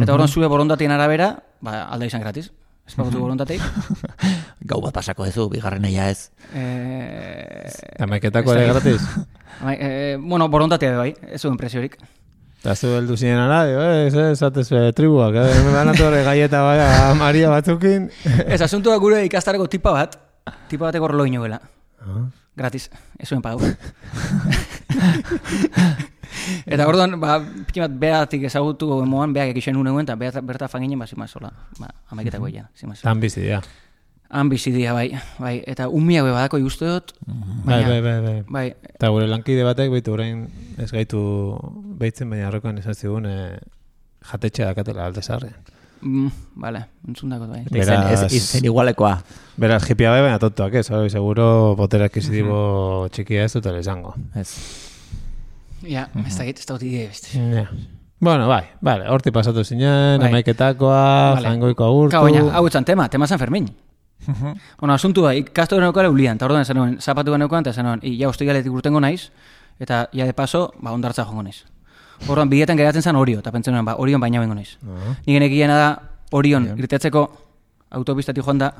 eta orduan zure borondatien arabera, ba, alda izan gratis. Ez pagutu borondateik. gau bat pasako duzu, bigarren eia ez. Eh, Amaiketako ez ere dakit. gratis. bai, eh, bueno, borondatea bai, ez zuen presiorik. Eta zu heldu zinen ara, dio, eh, ez, ez, atez eh, tribuak, eh, me banatu horre gaieta baya Maria batzukin. Ez asuntua gure ikastarako tipa bat, tipa bateko horrelo inoela. Ah. Gratis, ez zuen pagu. Eta orduan, ba, piki bat behatik ezagutu moan, beak ekixen uneguen, eta behat, berta fanginen, ba, zimaz, hola, ba, amaiketako egin, zimaz. Tan bizi, ja. Han bizidia, bai, bai, eta umia be badako ikuste dut, Bai, bai, bai, bai. bai, Eta gure lankide batek, baitu orain ez gaitu behitzen, baina arrokoan izan zigun eh, jatetxea dakatela alde zarrean. mm, bale, entzundako bai. Eta izen, ez, Beraz- izen igualekoa. Beraz, jipia bai, baina tontoak ez, hori seguro botera akizitibo txikia ez dutela izango. Ez. Ja, ez da git, ez da git idea beste. Ja. Bueno, bai, vale, horti pasatu zinen, Bai. amaiketakoa, Vale. jangoiko agurtu. Ka, baina, hau etzan tema, tema San Fermin. Bueno, asuntu da, ikasto neukala ulian, eta orduan esan nuen, zapatu neukan, eta esan nuen, i, ja, ostigaletik urtengo naiz, eta ja de paso, ba, ondartza jongo naiz. Orduan, bidetan geratzen zen Orio, eta pentsen nuen, ba, Orion baina bengo naiz. Ah. Nik enekiena da, Orion, irtetzeko autopistatik joan da,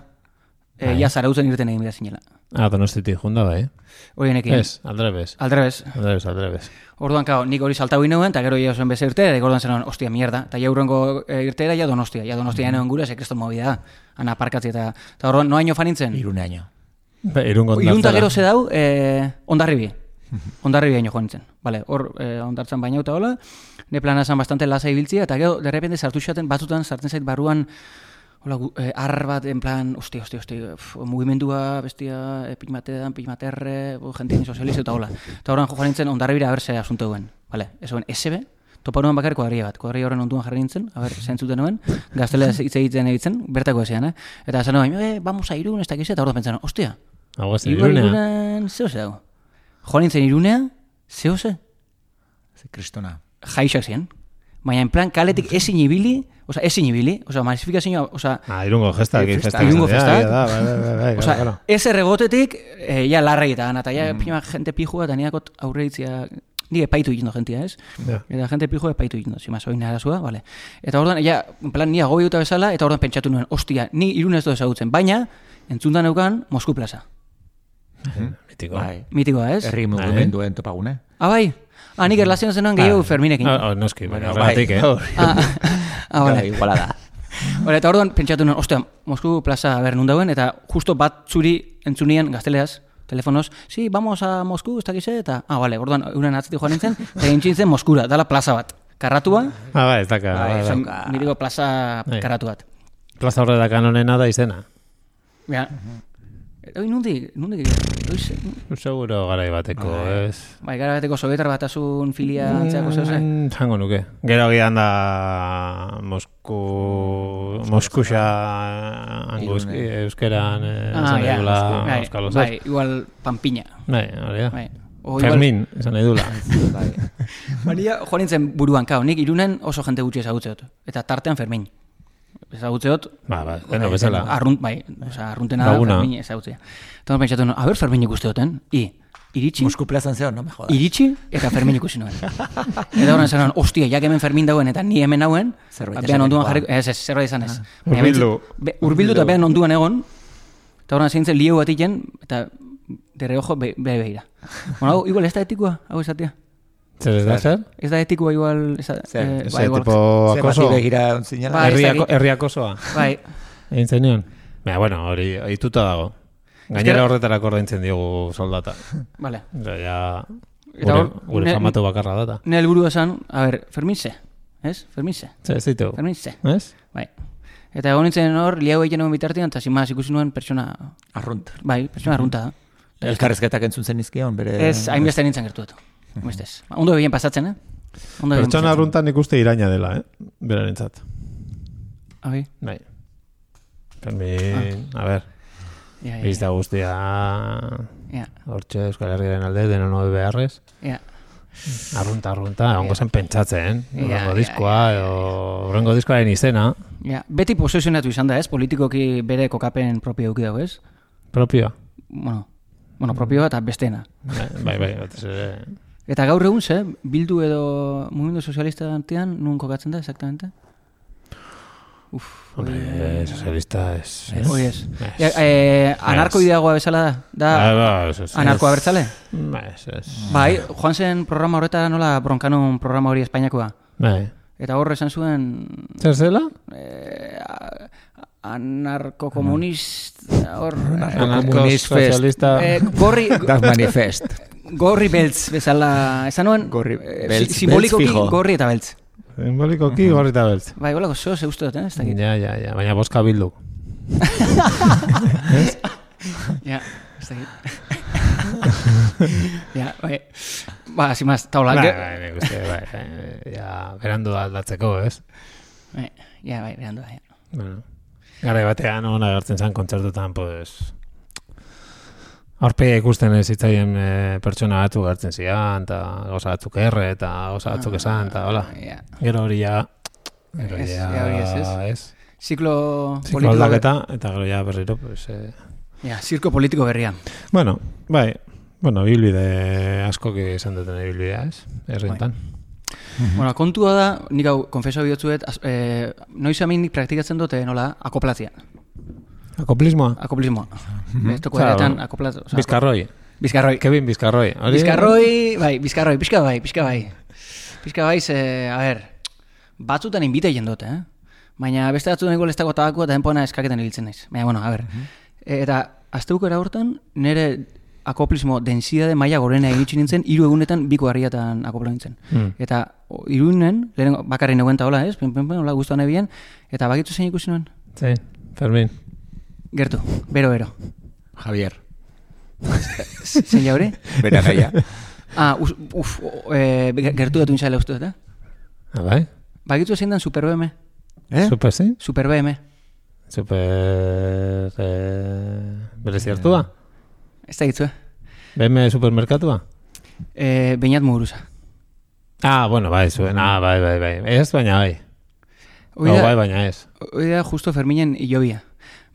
e, ja zarautzen irten egin behar zinela. Ah, Donostitik junda bai. Hori honekin. Ez, aldrebes. Aldrebes. Aldrebes, aldrebes. Orduan, kao, nik hori saltau inoen, eta gero ja zoen beze irtera, eta orduan zenon, ostia, mierda. Eta ja urrengo e, irtera, ja Donostia. Ja Donostia enoen gure, sekreston movida da. Ana parkatzi eta... Eta orduan, noaino fanintzen? Irune año. Ba, irungo Irunta gero ze dau, e, ondarribi. Ondarribi aino joan nintzen. Vale, hor, e, ondartzan baina eta hola, ne plana zan bastante lasa ibiltzia, eta gero, de repente, sartu xaten, batzutan, sartzen zait barruan, hola, eh, ar bat, en plan, ostia, ostia, ostia, uf, mugimendua, bestia, eh, pimatedan, pimaterre, jentien sozializ eta hola. Eta horren joan nintzen, ondarribira, a ber, ze asunto duen. Vale, ez duen, S B, topa nuen bakar kuadria bat. Kuadria horren onduan jarri nintzen, a ber, zentzuten nuen, gaztelea hitz egiten egiten, bertako ezean, eh? Eta esan nuen, eh, vamos a Irun, ez dakiz, eta hor pentsan, ostia, Hau ez igual irunea. Irunen, zeo ze dago. Joan nintzen Irunea, zeo ze? Ze kristona. Jaixak ziren. Baina, en plan, kaletik ezin ibili, oza, ezin ibili, oza, masifikazioa, oza, Ah, irungo gestak. Festak. Irungo festak. Da, bai, bai, bai, bai, Osa, claro. ez erregotetik, eh, ja larrei eta eta ja pima gente pijua eta niakot aurreitzia, ni epaitu egin jentia, ez? Ja. Eta gente pijua epaitu egin do, zima, soin arazua, vale. Eta orduan, ja, en plan, ni agobiuta bezala, eta orduan pentsatu nuen, ostia, ni Irun ez do ezagutzen, baina, entzundan eukan Mosku plaza. Mitiko. Bai. Mitikoa, ez? Herri mugimenduen topagune. Ah, bai? Ah, nik erlazioan zenuen gehiago Ferminekin. Ah, oh, noski, baina Bueno, bai. horregatik, eh? Ah, ah, vale. Iguala da. Hora, eta orduan pentsatu nuen, ostia, Mosku plaza ber nun dauen, eta justo bat zuri entzunien gazteleaz, telefonos, sí, vamos a Mosku, ez dakize, eta, ah, vale, orduan, euren atzetik joan nintzen, eta egin zen Moskura, dala plaza bat. Karratua, Ah, bai, ez daka. Bai, bai, bai. dauka. niriko plaza Bai. karratu bat. Plaza horre dakan honena da izena. Ja. Oi, nundi, nundi, oiz, Seguro garai bateko, ez? bai, gara bateko sovietar batasun filia antzeako zeuze. Mm, jango nuke. Gero gian da Mosku... Moskuxa hango eus- Irune. euskeran eh, Ah, esan ja, nahi dula bai, euskalo, bai, igual Pampiña. Bai, hori da. Bai. O igual- Fermin, esan nahi dula. Bai. Baina joan nintzen buruan, kao, nik Irunen oso jente gutxi ezagutzeot. Eta tartean Fermin. Ezagutzeot, Ba, ba, deno bezala. arrunt, bai, oza, arruntena da Laguna. Fermin ezagutzea. Eta pentsatu nuen, a ber Fermin ikusteoten, i, iritsi, Mosku plazan zeo, no me jodas. iritsi eta Fermin ikusi nuen. Eta horren zen, ostia, jak hemen Fermin dauen eta ni hemen dauen, Zerbait behan onduan esatekoa. jarriko, ez, ez, zerbait izan ez. Baina Hurbildu. bentsi- be- Hurbildu eta behan onduan egon, eta horren zintzen lieu bat iken, eta de reojo be, be behira. Bueno, hau, igual ez da etikoa, hau esatia. Zer ez da, zer? Ez da etikoa igual, ez da, Zer, eh, Ez ba, igual, tipo Ze akoso? bati begira zinela. Bai, ez Herriako, dakit. herriakosoa. bai, Egin zenion? Baina, bueno, hori ohituta dago. Gainera horretarako ordaintzen diogu soldata. vale. Ja, ja Eta gure, hor, gure ne- famatu bakarra data. Ne helburu esan, a ber, Fermin ze, ez? Fermin ze, Zer, ez ditu? Fermin ze, Ez? bai. Eta egon nintzen hor, liau egiten nuen bitartean, eta zimaz ikusi nuen pertsona, Arrunt. bai, pertsona arrunta da. Elkarrezketak entzun zen izkion, bere... Ez, hainbeste nintzen gertuetu. Hainbestez. Ondo begien pasatzen, eh? Ondo begien Pertsona pasatzen. arruntan ikuste iraina dela, eh? Berarentzat. Ah, bai. Bai. Fermin, a ber, Ja, ja, bizta guztia ja, hortxe Euskal Herriaren alde, deno nobe beharrez. ja. Arrunta, arrunta, ongo zen pentsatzen, Ja, horrengo ja, diskoa, edo horrengo diskoaren izena, Ja, beti posesionatu izan da, ez? Politikoki bere kokapen propio eduki dago, ez? propioa. Bueno, bueno, propioa eta bestena. Bai, bai, bai, batez ere. Eta gaur egun, ze? Bildu edo mugimendu sozialista antean, nun kokatzen da, exactamente? Uf, Hombre, sozialista ez. hoi ez. Ez. Ja, eh, anarkoideagoa bezala da? Da, Ba, ba, ez, ez. anarkoa bertzale? Ba, ez, ez. Bai, joan zen programa horretara nola bronkanun programa hori Espainiakoa. Bai. Eta horre esan zuen Zer zela? eh, a- anarkokomunist hor Anarko-sozialista. eh, gorri Dark Manifest. gorri beltz bezala esan nuen Gorri eh, beltz, si- simbolikoki beltz fijo. gorri eta beltz. Simbolikoki gorri eta beltz. Bai, golako zo ze uste dut, eh? Ez dakit. Ja, ja, ja, baina boska bildu. Ja, ez dakit. Ja, bai. Ba, sin más, taula. Bai, ge- bai, nik uste, bai, bai, ja, berandu da aldatzeko, ez? Bai, ja, bai, berandu da. Ja. Bueno, gara batean hona gertzen zen kontzertutan, pues, aurpegia ikusten ez zitzaien e, pertsona batzuk gertzen zian, eta gauza batzuk erre, eta gauza batzuk esan, eta hola. Ja. Gero hori ja, gero Ez, ja, ja, hori ez, ez. ez. Ziklo Ziklo politiko. aldaketa, eta gero ja berriro, pues, eh, Ja, zirko politiko berria. bueno, bai, bueno, bilbide askok izan duten bilbidea, ez? Herrientan. Bueno, kontua da, nik hau, konfeso bihotzuet, az- eh, noiz amin nik praktikatzen dute, nola, akoplatzia. Akoplismoa? Akoplismoa. Bestoko Zara, eretan bueno. akoplatu. Bizkarroi. Bizkarroi. Kevin Bizkarroi. Hori- Bizkarroi, bai, bizkarroi, pixka bai, pixka bai. Pixka bai, ze, a ber, batzutan inbita jendote, eh? Baina beste batzutan igual ez dago tabako eta denpona eskaketan ibiltzen naiz. Baina, bueno, a ber. E, eta azteuko hortan, nire akoplismo densidade maila gorena egitxe nintzen, hiru egunetan biko harriatan akoplo nintzen. Mm. Eta o, irunen, lehen bakarri neguenta hola, ez? Pen, pen, pen, hola, guztuan ebien. Eta bakitzu zein ikusi nuen? Zein, Fermin. Gertu, bero, bero. Javier. Zein jaure? Bera gaia. Ah, uf, uf e, gertu datu intzale uste, eta? Ah, bai? Bakitzu zein dan Super B M? Eh? Super zein? Super B M. Super... Eh, berezi hartua? Ez da gitzu, eh? B M supermerkatua? E, Beñat Muguruza. Ah, bueno, bai, zuen. Ah, bai, bai, bai. Ez, baina bai. Hoi Oh, da, bai, baina ez. hoi da justo Ferminen hilobia.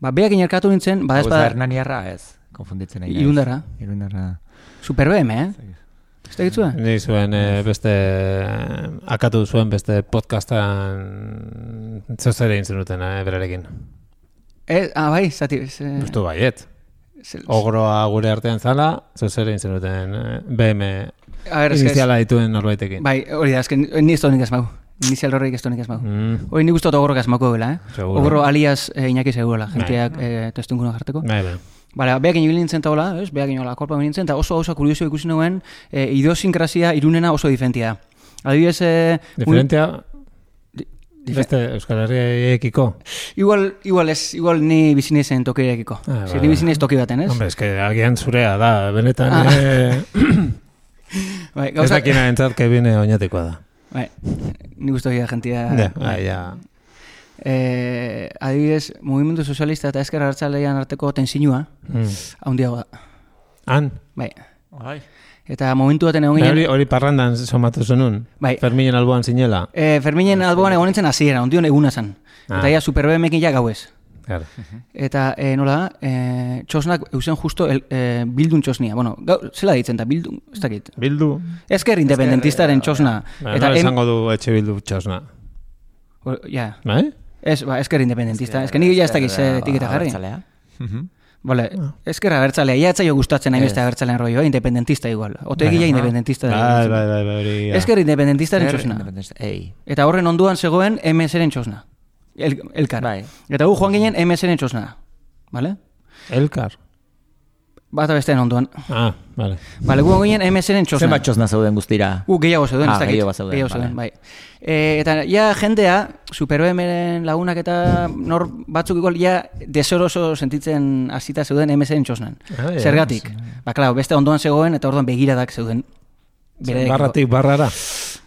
Ba, beak inerkatu nintzen, Hau ez da badazpada Hernaniarra, ez. Konfunditzen nahi. naiz. Irundarra. Irundarra. Super B M, eh? Ez da gitzu, eh? Ni zuen eh, beste... eh, akatu zuen beste podcastan... Zozere egin zenuten, eh, berarekin. Eh, ah, bai, zati... Ze, Justu baiet. ze, Ogroa gure artean zala, zozere egin zenuten eh, B M a ver, eske... iniziala dituen norbaitekin. Bai, hori da, esken, ni ez tonik ez mau. Inizial horreik ez tonik ez mau. Mm, Hori nik uste dut ogorok ez mauko dela, eh? Seguro. Ogorro alias eh, Iñaki segurola, jenteak eh, testunkuna jarteko. bai, bai. Bale, beak ino nintzen taola, ez? Beak ino akorpa nintzen, eta oso oso kurioso ikusi nuen, e, idiosinkrazia irunena oso diferentia da. Adibidez... E, Diferentia... Dife- Beste Euskal Herriekiko. Igual, igual ez, igual ni bizinezen tokirekiko. Ah, Zer, bai, ni bai. bizinez toki baten, ez? Hombre, eske agian zurea da, benetan... Ah. Eh, Bai, ez gauza, dakina entzat, kebine oinatekoa da. bai, ni guztu gira jentia... Ja, bai, ja. Eh, adibidez, mugimendu sozialista eta ezker abertzalean arteko tensinua, Mm. handiago da. Han? Bai. Bai. Eta momentu baten egon Bai, Hori, ginen... hori parrandan somatu zenun. Bai. Ferminen alboan zinela. Eh, Ferminen alboan egon nintzen hasiera, ondion eguna zen. Ah. Eta ja Super B M ekin ja gauez. Claro. Eta e, nola da, e, txosnak eusen justo el, e, bildun txosnia. Bueno, gau, zela ditzen da, bildun, ez dakit. Bildu. Ezker independentistaren txosna. Ba, Eta nola em, esango du etxe bildu txosna. o, ja, Bai? ez, ba, ezker independentista. Ezker nik ja ez dakit ze etiketa jarri. Abertzalea. Mhm. Vale, ezker abertzalea, ja etzaio gustatzen nahi beste abertzalean rollo, eh? Independentista igual. Otegi ja independentista da. Bai, bai, bai, bai, hori. ja. Ezker independentistaren Zer txosna. independentista- Ei. Eta horren onduan zegoen M S-ren txosna. El, elkar. Bai. Eta gu joan ginen M S-ren txosna. Vale? Elkar. Bata besteen onduan. Ah, vale. Vale, gu joan ginen M S-ren txosna. Zenbat txosna zauden guztira? Uh, gehiago zeuden, Ah, ez dakit. gehiago zeuden, Gehiago vale. zeuden, bai. E, eta ja jendea, Super B M-ren lagunak eta nor batzuk igual ja desoroso sentitzen hasita zeuden M S-ren txosnan. Ah, ja. Zergatik? Ba, klar, beste ondoan zegoen eta orduan begiradak zeuden. Bereekiko. Barratik barrara.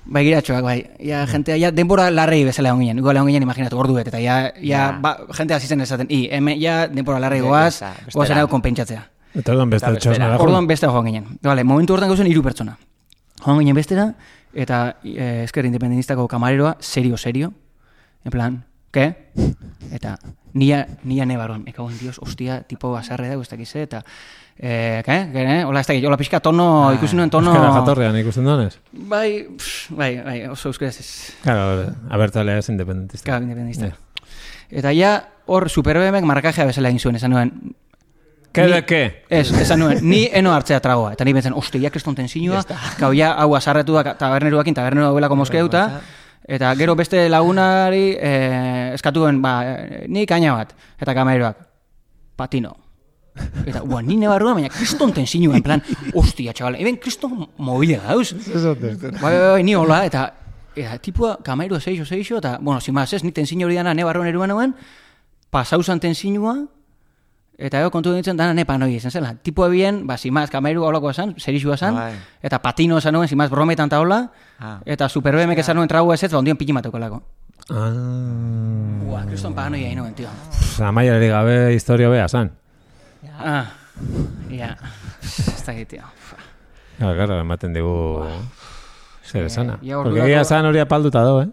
Bai, giratxoak, bai. Ja, jentea, ja, denbora larrei bezala egon ginen. Igual egon ginen, imaginatu, ordu bet. Eta ja, ja, Ja. ba, jentea hasi zen esaten, i, hemen, ja, denbora larrei goaz, Besta- bestera. goaz erago konpentsatzea. Eta orduan beste Eta bestera. txosna dago. Orduan beste joan ginen. Vale, momentu hortan gauzen hiru pertsona. Joan ginen bestera, eta eh, esker independentistako kamareroa, serio-serio, en plan, ke? Eta nia, nia nebaron, me cago en Dios, hostia, tipo basarre da, ez dakize, eta, eh, ke? Ke, eh? Hola, ez dakit, hola pixka tono, ikusi nuen tono... Euskara jatorrean ikusten duanez. Bai, pff, bai, bai, oso euskaraz ez. Claro, abertzalea ez independentista. Claro, independentista. Ja. Eta ja, hor Super B M-ek marrakajea bezala egin zuen, esan nuen, Ke Ni- de ke? ez, esan nuen, ni eno hartzea tragoa. Eta ni bentzen, oste, ja kriston tensinua, gau ja, hau azarretu da taberneruakin, taberneru dauelako moskeuta, eta gero beste lagunari eh, eskatuen, ba, eh, ni kaina bat, eta kameroak, patino. Eta, ua, ni nebarrua, baina kriston tensinua, en plan, ostia, txabal, eben kriston mobile gauz. Bai, bai, bai, ni hola, eta, eta tipua, kamerua seixo, seixo, eta, bueno, sin más, ez, ni tensinio hori dana nebarroan eruan hauen, pasauzan tensinua, eta ego kontu ditzen dana nepa noi izan zela. Tipua bien, ba, simaz, kameru haulakoa zan, serixua zan, Bai. eta patino esan nuen, simaz, brometan ta hola, Ah. eta Super B M-ek esan nuen trago ez ez, ba, ondion pikimateko lako. Ah. Ua, kriston paranoia egin nuen, tio. Amaiari gabe historio bea zan. Ah, ja, ez dakit, tio. Claro, claro, ematen digu zer esana. ja Porque ordurako- egia zan hori apalduta do, eh?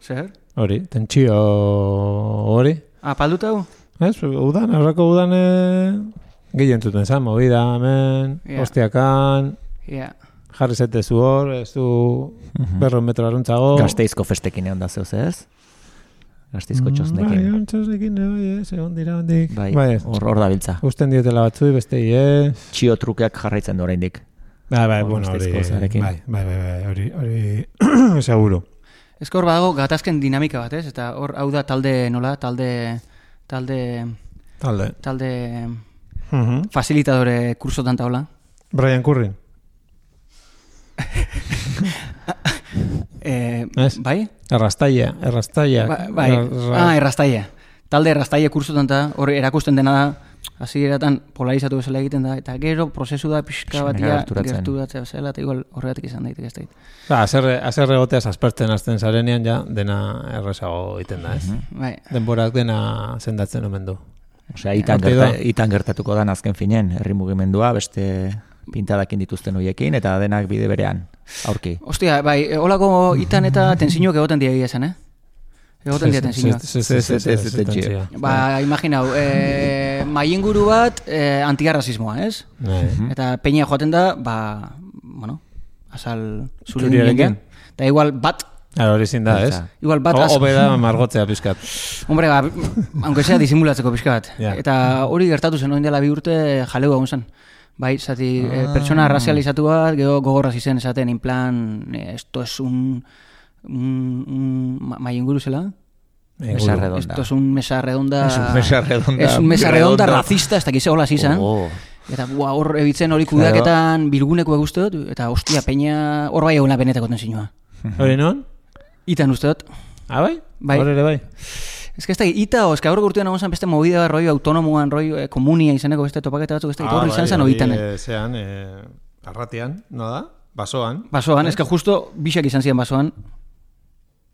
Zer? Hori, tentsio hori. Ah, palduta hu? Ez, udan, aurreko udan eh, gehien zuten zan, movida hemen, Ja. hostiakan, Ja. jarri zetezu hor, ez du berro metro aruntzago. Gasteizko festekin egon da zeuz, ez? Gastizko txosnekin. Bai, txosnekin, bai, ez, egon dira, hondik. Bai, Bai, hor hor da biltza. usten dietela batzui, beste ez. Txio trukeak jarraitzen du oraindik. Bai, bai, Hor bueno, hori, Gasteizko zarekin. bai, bai, bai, bai, hori, hori, seguro. Ez hor badago gatazken dinamika bat, ez? Eta hor, hau da talde nola, talde, talde, Talde. talde Mhm. facilitadore kursotan taula. Brian Currin. Eh, Ez? bai? Errastaia, errastaia. Ba, bai, ah, errastaia. Talde errastaia kursotan da, hor erakusten dena da, hasieratan polarizatu bezala egiten da, eta gero prozesu da pixka Xemena batia gerturatzen. gerturatzea bezala, eta igual horregatik izan daiteke ez dakit. Ba, azerre, azerre goteaz aspertzen hasten zarenean, ja, dena errezago egiten da, ez? Bai. Denborak dena sendatzen omen du. Osea, itan, Hortik gerta, da. itan gertatuko da azken finen, herri mugimendua, beste pintadakin dituzten hoiekin, eta denak bide berean, aurki. Ostia, bai, holako itan eta tensiñoak egoten dira egia esan, eh? Egoten dira tensiñoak. Ez, ez, ez, ez, ez, tentsio. Ba, imaginau, eh, mainguru bat eh, antiarrazismoa, ez? Bai. Eta peña joaten da, ba, bueno, azal zure Zuriarekin. niengen. Eta igual bat, Ara, hori zin da, ez? igual bat, O- az- Hobe da margotzea pizkat. hombre, ba, aunque sea disimulatzeko pixka bat. Ja. Eta hori gertatu zen, oin dela bi urte jaleu egon zen. Bai, zati, eh, pertsona razializatu bat, gero gogorraz izen esaten, in plan, eh, esto es un, un, un ma- mainguru zela? Mesa redonda. Esto es un mesa redonda... Es un mesa redonda. Es un mesa redonda Redondo. racista, ez dakize hola zizan. Oh. Eta bua, hor ebitzen hori kudeaketan bilguneko uste dut, eta ostia, peña hor bai eguna benetako tensiñoa. Hori non? Itan uste dut. Ah, bai? Bai. Hor ere bai. Ez que ez da, ita, o, ez que aurreko urtean egon zen beste movida bat, roi autonomoan, roi eh, komunia izaneko beste topaketa batzuk, ez da, hor izan zen oitan. Eh, zean, eh, arratian, no da? Basoan. Basoan, ez que justo bixak izan ziren basoan,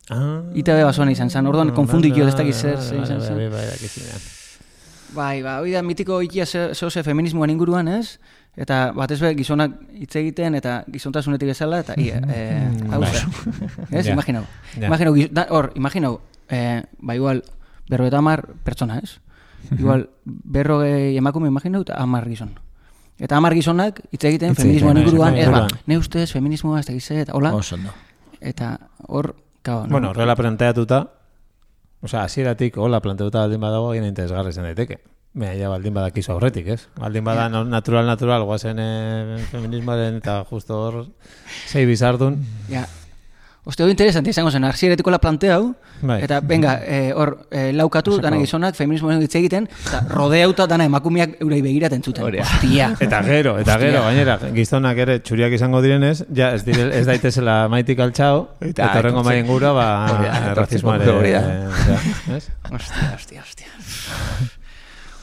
Ah, ita be basoan izan zen, orduan konfundikio ez dakiz zer, zer izan Bai, zen. bai, bai, dakizunean. Bai, ba, hori da mitiko ikia zehoze feminismoan inguruan, ez? Eta batez be gizonak hitz egiten eta gizontasunetik bezala, eta ia, eh, hau bai. zer. Ez, Ja. imaginau. Ja. Imaginau, giz- da- hor, imaginau, eh, ba igual, berrogeita hamar pertsona, ez? Igual, berrogei emakume imaginau eta hamar gizon. Eta hamar gizonak hitz egiten Hitz feminismoan egiten, inguruan, bai, ez ba, bai. ne ustez feminismoa ez dakiz zer, eta hola, Oso ondo. eta hor, kao, no? Bueno, horrela planteatuta, osea, hasieratik hola planteatuta baldin badago, egin interesgarri izan daiteke. Baina ja baldin badakizu aurretik, ez? Baldin bada no- natural, natural, guazen eh, feminismoaren eta justo hor sei bizardun. Ja. Oste, hori interesante izango zen, arsieretiko la planteau, Bai. eta venga, eh, hor eh, laukatu, Osako. dana gizonak, feminismoen hitz egiten, eta rodeauta dana emakumeak eurei begiraten zuten. Hori da. Hostia. Eta gero, eta Hostia. gero, gainera, gizonak ere txuriak izango direnez, ja ez, dire, ez daitezela maitik altxao, eta, Eta horrengo etortzen- maien gura, ba, Hori da, etortzen errazismoare, modu hori da. eh, osea, ez? Hostia, hostia, hostia.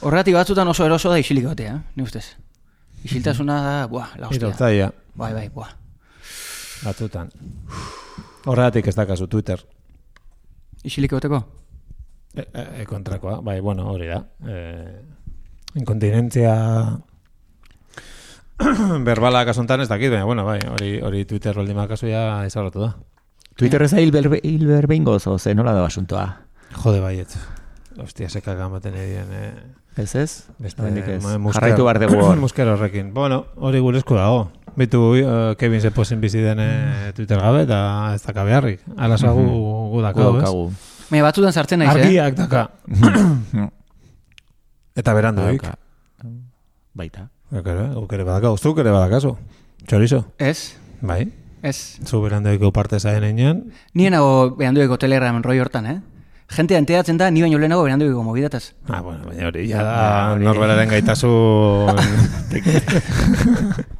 Horregatik batzutan oso eroso da isilik batea, ni ustez. Isiltasuna da, buah, la hostia. Irotzaia, Bai, bai, buah. batzutan. Horregatik ez dakazu Twitter. Isilik bateko? E, e, e, kontrakoa, bai, bueno, hori da. E, inkontinentzia berbala kasuntan ez dakit, baina, bueno, bai, hori, hori Twitter roldima kasu ja izarratu da. Twitter ez da hilber- hilberbehingoz, oze, nola da basuntoa? Jode baiet. Ostia, sekak amaten edien, eh? Ez ez? Beste, Oraindik ez. ma- musker- Jarraitu behar dugu hor. Musker horrekin. Bueno, hori gure esku dago. Bitu uh, Kevin Zeposen bizi den eh, Twitter gabe, eta ez daka beharrik. Alaza gu, gu dakau, ez? Daukagu. Baina batzutan sartzen naiz, eh? Argiak daka. Eta beranduik. Dauka. Baita. Guk ere, guk ere badakau. Zuk ere badakazu. Txorizo. Ez, Bai. ez. Zu beranduik parte zaien einean. Nien nago berandueko Telegramen roi hortan, eh? Gente enteratzen da, ni baino lehenago berandueko mobidataz. Ah, bueno, baina hori, ja da norberaren gaitasun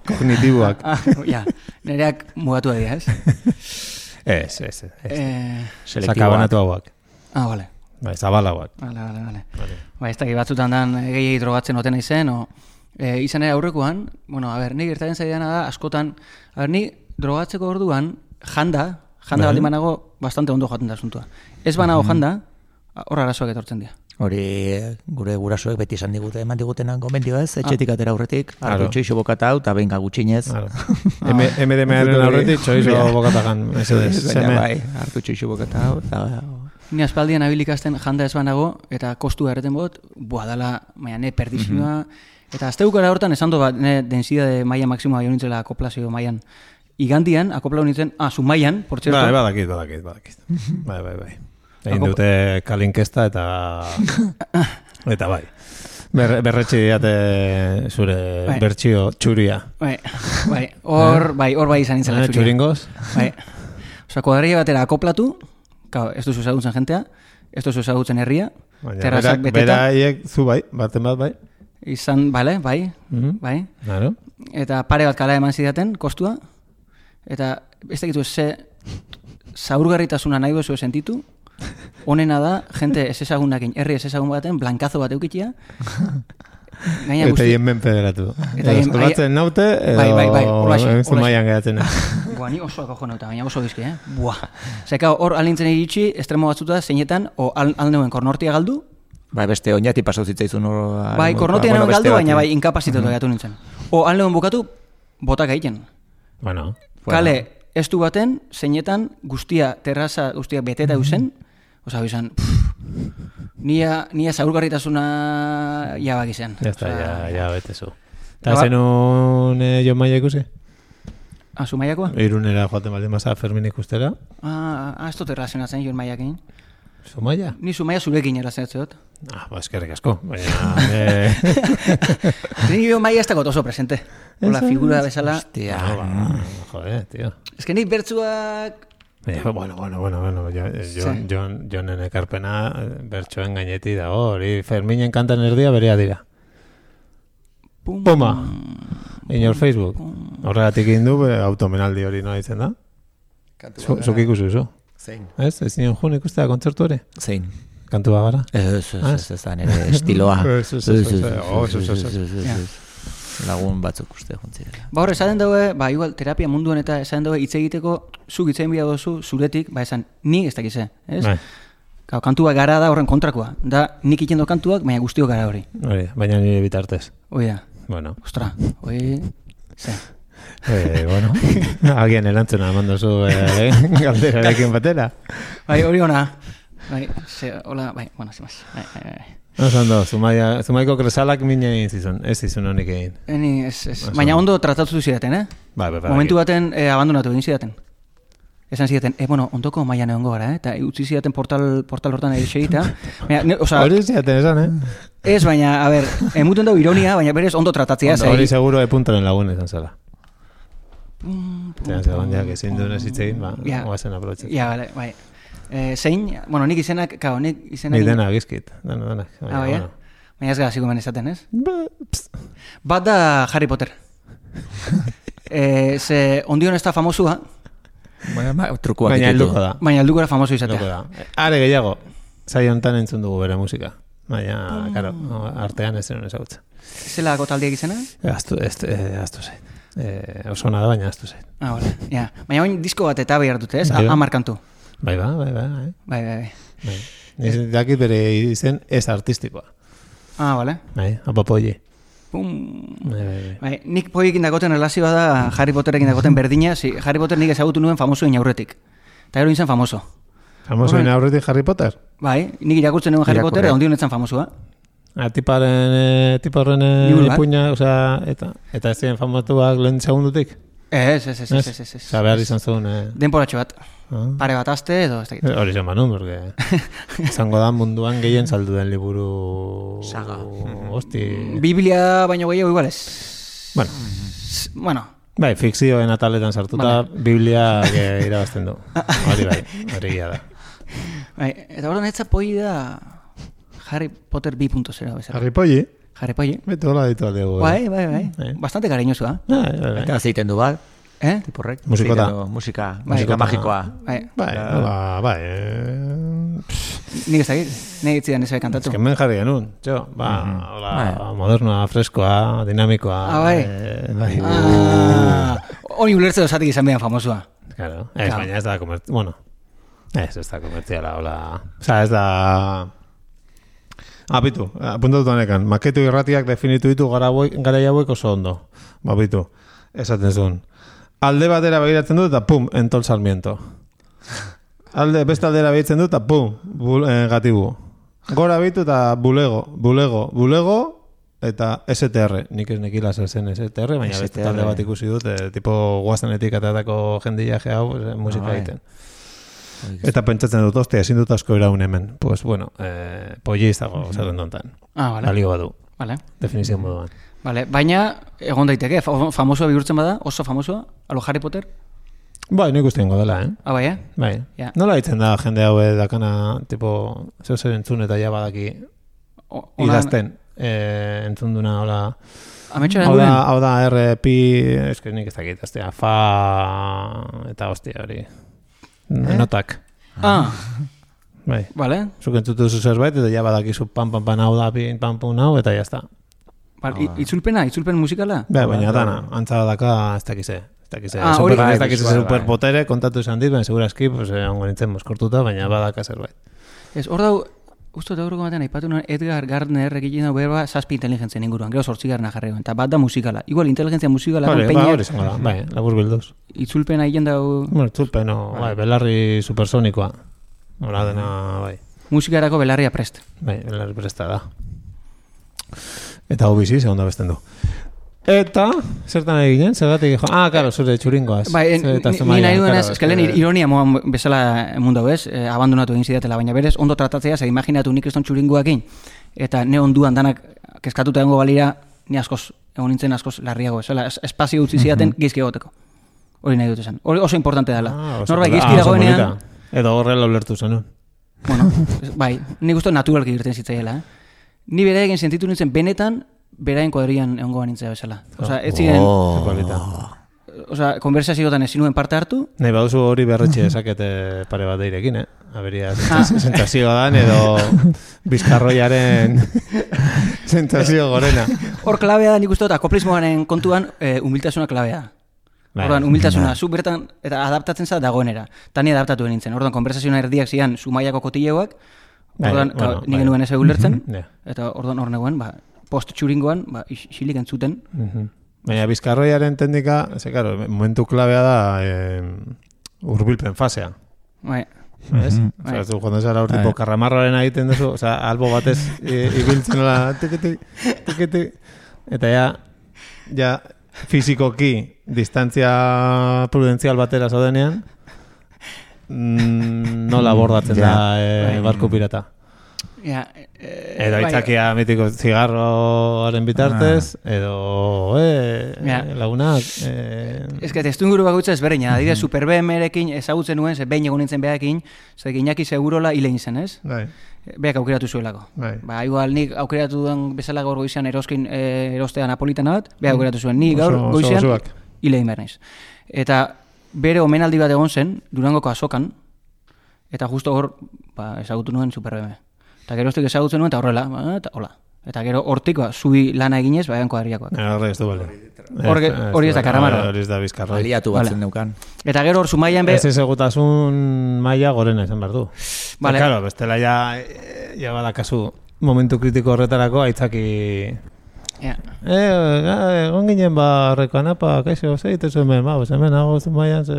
kognitiboak. Ah, ja, nereak mugatu dira, ez? Ez, ez, ez. Eh, Sakabanatu hauak. ah, vale. Bai, zabalauak. Vale, vale, vale. Vale. Ba, ez dakit batzutan dan gehiagi drogatzen oten izen, o... E, izan ere aurrekoan, bueno, a ber, ni gertaren zaidana da, askotan, a ber, ni drogatzeko orduan, janda, janda Bai. baldin banago, bastante ondo joaten da asuntua. Ez banago janda, hor arazoak etortzen dira. Hori gure gurasoek beti esan digute, eman digutenan gomendio ez, etxetik atera aurretik, Claro. hartu txoixo bokata hau, eta benga gutxinez. Claro. M D M-aren aurretik, txorizo bokatagan, mesedez, Baina seme. bai, hartu txoixo bokata hau, eta... Ni aspaldian abilikasten janda ez banago, eta kostu erreten bot, bua dala, maia ne perdizioa, eta azte bukara hortan esan du bat, ne densidade maia maksimoa jo nintzela akoplazio maian. Igandian, akoplau nintzen, ah, zu maian, por cierto. Bai, badakit, badakit, badakit. Bai, bai, bai. Egin dute kalinkesta eta... eta bai. Ber, berretxe diate zure bai. bertsio txuria. Bai, bai, hor bai, hor bai izan nintzen Eh, txuria. Txuringoz? Bai. Osa, kuadrilla batera akoplatu, claro, ez duzu ezagutzen jentea, ez duzu ezagutzen herria, Baina, terrazak berak- beteta, beraiek zu bai, baten bat bai. izan, bale, bai, Mhm. bai, Claro. eta pare bat kala eman zidaten, kostua, eta ez dakitu ze zaurgarritasuna nahi duzu sentitu, honena da, jente ez ezagunakin, herri ez ezagun baten, blankazo bat eukitia, gaina Eta guzti... hien menpe geratu. Eta hien- Batzen naute, edo Bai, bai, bai, holaxe, holaxe. zumaian geratzen. Buah, ni osoak ojo nauta, baina oso bizki, eh? Buah. Zeka hor alintzen iritsi, estremo batzuta, zeinetan, o al, alneuen kornortia galdu, Bai, beste oinati pasau zitzaizun hor... bai, kornortia bueno, nauen beste galdu, bati. baina bai, inkapazitatu mm. gatu nintzen. O alneuen bukatu, botak egiten. Bueno, Kale, estu baten, zeinetan, guztia, terraza, guztia beteta eusen, oza, bizan, nia, nia zaurgarritasuna jabak izan. ya está, ya, ya betezu. Eta Ba- zenun eh, Jon Maia ikusi? Ah, Zumaiakoa? Irunera joaten baldin baza Fermin ikustera. Ah, ah, ez dut erlazionatzen, Jon Maiakin. Zumaia? Ni Zumaia zurekin erlazionatzen dut. Ah, ba, eskerrik asko. Baina... eh, Ni Jon Maia ez dago oso presente. Hola, figura bezala. Hostia. no, ba, joder, tío. Ez que nik bertzuak... Baina, bueno, bueno, bueno, bueno, jo, Jon, Jon, Jonen ekarpena eh, bertsoen gaineti dago, hori Ferminen kantan erdia berea dira. Pum, Puma, in your Facebook. Horregatik egin du, be, automenaldi hori noa izen da. Zu- Zuk ikusi zu. Zein. Ez, ez nion jun ikustea kontzertu ere? Zein. Kantu bagara? Ez, ez, Ah, ez, ez da nire estiloa. Ez, ez, ez, ez, oh, ez, ez, ez, ez. Ja. Lagun batzuk uste jontzirela. Ba hor, esaten daue, ba igual, terapia munduan eta esaten daue hitz egiteko, zuk hitz egin bia dozu, zuretik, ba esan, ni ez dakize, ez? Bai, Kau, kantua gara da horren kontrakoa. Da, nik ikendo kantuak, baina guztiok gara hori. hori, baina nire bitartez. Hoi da, Bueno, ostra, hoi... Ze. eh, bueno, alguien erantzuna eman duzu eh, galderarekin batera. Bai, hori ona. Bai, ze, hola, bai, bueno, sin más. Bai, bai, bai. Oso ondo, Zumaia, Zumaiko kresalak mine egin zizun, ez zizun honik egin. Eni, ez, ez. Oso Baina ondo. ondo tratatu zidaten, eh? Bai, bai, bai. Momentu baten eh, abandonatu egin zidaten. Esan zidaten, eh, bueno, ondoko mailan egongo gara, eh? Eta utzi zidaten portal, portal hortan egita. Baina, ne, oza, Hori ziaten esan, eh? ez, baina, a ber, emuten dugu ironia, baina berez ondo tratatzea. Ondo, zai. hori seguro epuntoren lagun izan zela. Zeran zegoen, ja, ezin duen ez hitz egin, ba, Ja. oazen aprobetxetzen. Ja, bale, bai. Eh, zein, bueno, nik izenak, kao, nik izenak... Nik dena gizkit, dena, denak. Ah, bai, eh? Baina ez gara ziko esaten, ez? Ba, pst. Bat da Harry Potter. eh, ze ondion ez da famosua, Baina, ma, trukuak Baina ditu. helduko da. baina aldukora famoso Helduko izatea. da. Are gehiago, saio honetan entzun dugu bere musika. Baina, karo, artean ez zenun ezagutza. Zelako taldeak izena? Aztu, ez, eh, aztu zait. Eh, oso ona da, baina aztu zait. Ah, bale, ja. Baina oin disko bat eta behar dute, ez? Bai, bai. Amar kantu. Bai, ba, bai, bai, bai. Bai, bai, bai. bai. Niz dakit bere izen ez artistikoa. Ah, bale. Bai, apapoi. Pum. Bai, bai, bai. Bai, nik poiekin dagoten relazioa da Harry Potterekin dagoten berdina, si, Harry Potter nik ezagutu nuen famosoen aurretik. Eta gero nintzen famoso. Famosoen Horren- aurretik Harry Potter? Bai, nik irakurtzen nuen Harry Irakurri. Potter, ondion etzan famosua. Ah, tiparen, eh, tiparren eh, Liburuak. ipuina, osea, eta, eta ez ziren famatuak lehen segundutik? Ez, ez, ez, ez, ez, ez, ez. Osea, behar izan zuen, eh, Denporatxo bat. ah. Pare bat aste edo, ez dakit. Hori zen manun, porque izango da munduan gehien saldu den liburu... Saga. Hosti... Biblia baino gehiago igual ez. Bueno, S- Bueno, bai, fikzioen ataletan sartuta, Biblia eh, irabazten du. Hori bai, hori gila da. bai, eta horren etza poi da Harry Potter bi punto zero bezala. Harry Polli, Harry Poi. beto hola ditu aldegu. Bai, bai, bai. Bai. Bastante cariñosua. Bai, bai, bai. Eta zeiten du bat, Eh? tiporrek. Musikota. Zeiten du Musika, Bai. musika Musikota. magikoa. Bai, Bai, hola, bai. eh, nik ez dakit. Nik itzidan ez bai Ez kantatu. que hemen jarri genuen, txo, ba, hola, Bai. modernoa, freskoa, dinamikoa. Ah, bai. eh, bai. Ah, honi ulertze dozatik izan behan famosua. Claro, ez, Claro. baina ez da komertziala, bueno, ez, ez da komertziala, hola, oza, ez da... Apitu, apuntatu honekan, maketu irratiak definitu ditu gara hauek oso ondo. Bapitu, esaten zuen. Alde batera begiratzen du eta pum, entol Sarmiento. Alde, beste aldera begiratzen du eta pum, bul, eh, gatibu. Gora bitu eta bulego, bulego, bulego eta S T R. Nik ez nekila zer zen S T R, baina S T R. beste talde bat ikusi dut, eh, tipo guazanetik atatako jendia hau eh, musika Ah, bai. egiten. Eta pentsatzen dut, ostia, ezin dut asko iraun hemen. Pues, bueno, eh, polli izago zerrendontan. Ah, vale. Balio badu. Vale. Definizio moduan. Vale, baina egon daiteke, fa- famosoa bihurtzen bada, oso famosoa, alo Harry Potter? Bai, nik uste ingo dela, eh? Ah, bai, eh? Bai. Ja. Nola ditzen da jende hau dakana, tipo, zeu zer entzun eta ja badaki O- ona- idazten. Eh, entzun duna, hola... Ametxoaren Hau da, duen? hau da, R, pi, eske nik ez dakit, aztea, fa, eta hostia hori. Notak. Ah, Bai. vale. Zuk entzutu duzu zerbait, eta ja badakizu pam, pam, pam, hau da, pin, pam, pum, hau, eta jazta. Vale, i- itzulpena, itzulpen musikala? Bai, baina dana, antzara daka, ez dakize. Ez dakize, Ah, super, hori- ez dakize Bai, bai. superpotere, kontatu izan dit, baina segurazki, pues, eh, ongo nintzen moskortuta, baina badaka zerbait. Ez, hor dau, uste dut aurreko batean, aipatu nuen Edgar Gardner egiten dau berba zazpi inteligentzien inguruan, gero zortzigarna jarri eta bat da musikala. Igual inteligentzia musikala, Hori, ba, konpeinak, hori izango da, bai, labur bilduz. itzulpena egiten dau Bueno, txulpen, o, bai, belarri supersonikoa. Hola dena, bai. musikarako belarria prest. Bai, belarri presta da. Eta hau bizi, segonda besten du. Eta, zertan eginen, zergatik, jo, ah, karo, zure txuringoaz. Bai, Zure eta ni, ni zumaia, nahi duenez, claro, eskalen eh, ironia moan bezala mundu ez, eh, abandonatu egin zidatela, baina berez, ondo tratatzea, ze imaginatu nik eston txuringoakin, eta ne onduan danak keskatuta egongo balira, ni askoz, egon nintzen askoz larriago, esela, es- espazio utzi zidaten gizki egoteko. Hori nahi dut esan. Hori oso importante dela. Ah, oso Norbait pola- gizki ah, oso dagoenean, polita. Edo horrela ulertu zenun. bueno, es- bai, nik uste naturalki irten zitzaiela, eh? Ni bera egin sentitu nintzen benetan, beraien kuadrian egongo nintzea bezala. Osea, ez ziren, Oh. Polita. osea, konversazioetan ezin nuen parte hartu, Nahi baduzu hori berretxe esakete pare bat deirekin, eh? Aberia sentsazio dan edo bizkarroiaren sentsazio gorena. hor klabea da nik uste dut, akoplismoaren kontuan, e, humiltasuna klabea da. Bai. Orduan, humiltasuna, zu bertan, eta adaptatzen za dagoenera. Ta ni adaptatu nintzen. Orduan, konversazioa erdiak zian Zumaiako kotilleoak, Bai, orduan, bueno, bueno, nik bai. genuen ez ulertzen, Ja. eta orduan hor negoen, ba, post txuringoan, ba, isilik entzuten. Mhm. Baina bizkarroiaren teknika, ze claro, momentu klabea da eh, urbilpen fasea. Bai, Ez? Mhm. Osea, zu joan zara hor Bai. tipo karramarroaren egiten duzu, osea, albo batez i- ibiltzen la tikiti, tikiti, eta ja, ja fizikoki distantzia prudenzial batera zaudenean, mm, nola abordatzen Ja. da eh, Bai. barku pirata. ja, e, Edo aitzakia mitiko zigarroaren bitartez, edo, eh, Ja. lagunak, eh, Ez que testu inguru bakoitza ezberdina, adibidez Super B M erekin ezagutzen nuen, ze behin egon nintzen behakin, ze Iñaki Segurola hile zen, ez? bai, Beak aukeratu zuelako. bai. Ba, igual nik aukeratu duen bezala gaur goizean eroskin e, erostea napolitana bat, beak aukeratu zuen, ni gaur Oso- oso goizean osoak. hile egin behar naiz. Eta bere omenaldi bat egon zen, Durangoko azokan, eta justo hor, ba, ezagutu nuen Super B M. Eta geroztik ezagutzen nuen, eta horrela, ba, eta hola. Eta gero hortik, ba, zubi lana eginez, ba, egan kuadriakoak. Eh, Horre ez du bale. Hor ge- hori ez da karramarro. Hori ez da bizkarroi. Aliatu Vale. batzen neukan. Eta gero hor Zumaian be... Ez ezagutasun maila gorena izan behar du. Vale. Eta, claro, bestela ja, eh, ja badakazu momentu kritiko horretarako aitzaki... Ja. Eh, ga- egon ginen ba horreko anapa, kaixo, ze egitezu hemen, ba, pues hemen hago Zumaian, ze...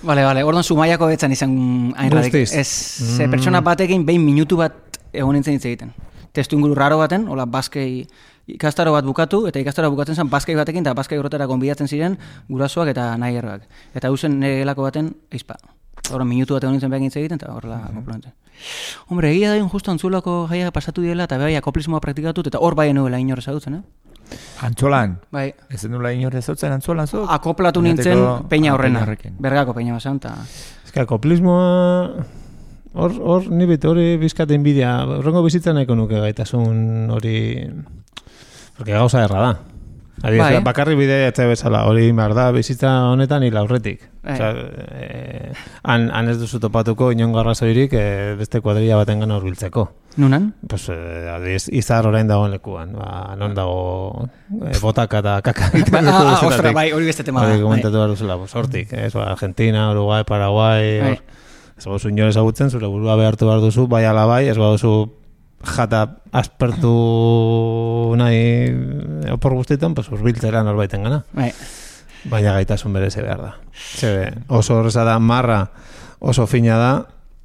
Vale, vale, orduan Zumaiako betzan izan hain radik. Guztiz. Ez, ze pertsona batekin behin minutu bat egon nintzen hitz egiten. Testu inguru raro baten, hola, baskei ikastaro bat bukatu, eta ikastaro bukatzen zen baskei batekin, eta baskei horretara gonbidatzen ziren gurasoak eta nahi erroak. Eta hausen negelako baten, eizpa. Horren minutu bat egon nintzen behar hitz egiten, eta horrela komplementzen. Hombre, egia da justo antzulako jaia pasatu diela, eta bai akoplismoa praktikatut, eta hor bai nuela inor ezagutzen, eh? Antzolan. Bai, Ez nula inor ezotzen antzolan zuk? akoplatu Oinateko- nintzen peina ah, horrena. horrekin. Bergako peina basan, eta... Ez que akoplismoa... Hor, hor, ni bete hori bizkate inbidia. Horrengo bizitza nahiko nuke gaitasun hori... Porque gauza erra da. Adibidez, Bai. bakarri bide etxe bezala, hori behar da bizitza honetan hil aurretik. Bai. Osea, eh, han, han ez duzu topatuko inongo arrazoirik eh, beste kuadrilla baten gana hurbiltzeko. Nunan? Pues, eh, adibidez, izar orain dagoen lekuan. Ba, non dago eh, botaka eta kaka. Ba, ah, ah, ostra, bai, hori beste tema da. Hori Bai. komentatu behar duzela, pues, hortik. Ez, ba, Argentina, Uruguay, Paraguay, Bai. hor. Ez baduzu inor ezagutzen, zure burua behartu behar duzu, bai ala bai, ez baduzu jata aspertu nahi opor guztietan, pues urbiltzera norbaiten gana. Bai. Baina gaitasun bereze behar da. Zebe, oso horreza da, marra oso fina da,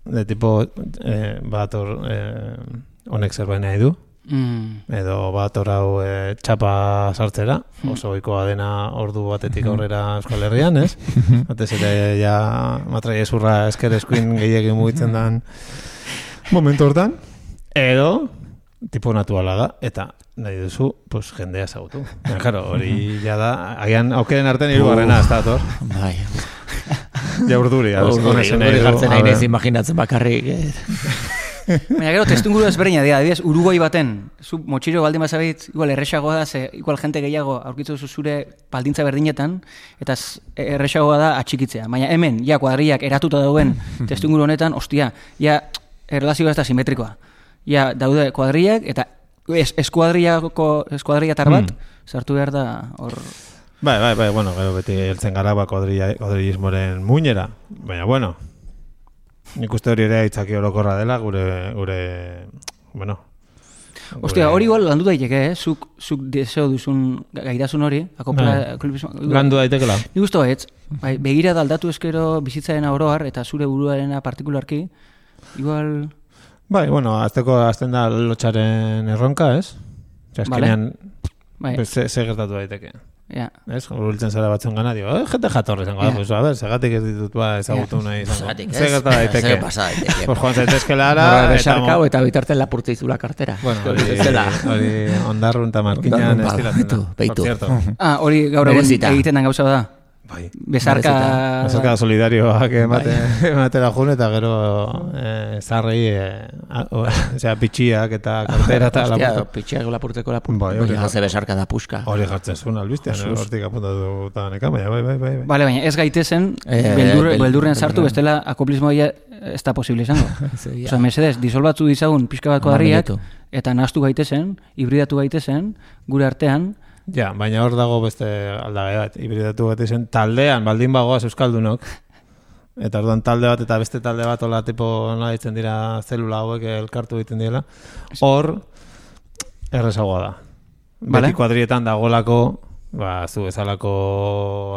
de tipo, eh, bat hor, eh, honek zerbait nahi du, Mm. edo bat orau e, txapa sartzera, oso ohikoa dena ordu batetik aurrera Euskal Herrian, ez? Batez ere ja matraiezurra esker eskuin gehiagin mugitzen dan momentu hortan, edo tipo naturala da, eta nahi duzu, pues, jendea ezagutu. Ja, claro, hori ja da, agian aukeren artean hirugarrena ez da, ator. Bai. Ja urduri, Urduri jartzen nahi nez imaginatzen bakarrik. Baina gero, testunguru ezberdina dira, adibidez, Uruguai baten, zu motxiro baldin bazabit, igual erresagoa da, ze igual jente gehiago aurkitzu zure baldintza berdinetan, eta erresagoa da atxikitzea. Baina hemen, ja, kuadriak eratuta dauen testunguru honetan, ostia, ja, erlazioa ez da simetrikoa. Ja, daude kuadriak, eta es, eskuadriako, eskuadriatar bat, sartu behar da, hor... Bai, bai, bai, bueno, gero beti heltzen gara ba kuadrillismoren muinera, baina, bueno, nik uste hori ere aitzaki orokorra dela, gure, gure, bueno... Ostia, hori igual landu daiteke, eh? Zuk, zuk deseo duzun gaitasun hori, akopla... Landu daitekela. Nik uste baitz, bai, begira da aldatu eskero bizitzaren oroar, eta zure buruarena partikularki, igual... Bai, bueno, azteko azten da lotxaren erronka, ez? Azkenean, bai. ze, ze gertatu daiteke. Ja. Ez, urbiltzen zara batzen gana, digo, eh, jente jatorre zengo, yeah. Pues, a ver, segatik ez ditut ba ezagutu nahi izango. Ze gertatu daiteke. Ze pasa daiteke. Pues joan zaitezkela ara... Besarkau eta bitarten lapurtze izula kartera. Bueno, hori ondarrun eta markinan estilatzen da. Beitu, beitu. Ah, hori gaur egun egiten den gauza da. Bai. Besarka... Besarka solidarioak ematera jun eta gero eh, zarrei, eh, osea, pitxiak eta kartera eta lapurteko. Hostia, pitxiak lapurteko lapurteko. Bai, hori jaze besarka da puska. Hori jartzen zuen albiztean, hortik apuntatu eta neka, baina, bai, bai, bai. Bale, baina ez gaitezen, beldurren sartu, bestela akoplismoia ez da posible izango. Osa, mesedez, disolbatzu dizagun pixka bat kuadriak, eta nahaztu gaitezen, hibridatu gaitezen, gure artean. Ja, baina hor dago beste aldage bat, hibridatu bat izan, taldean, baldin bagoaz euskaldunok, eta orduan talde bat eta beste talde bat hola tipo nola ditzen dira zelula hauek elkartu egiten direla, hor errezagoa da. Vale. Beti kuadrietan dagolako, ba, zu bezalako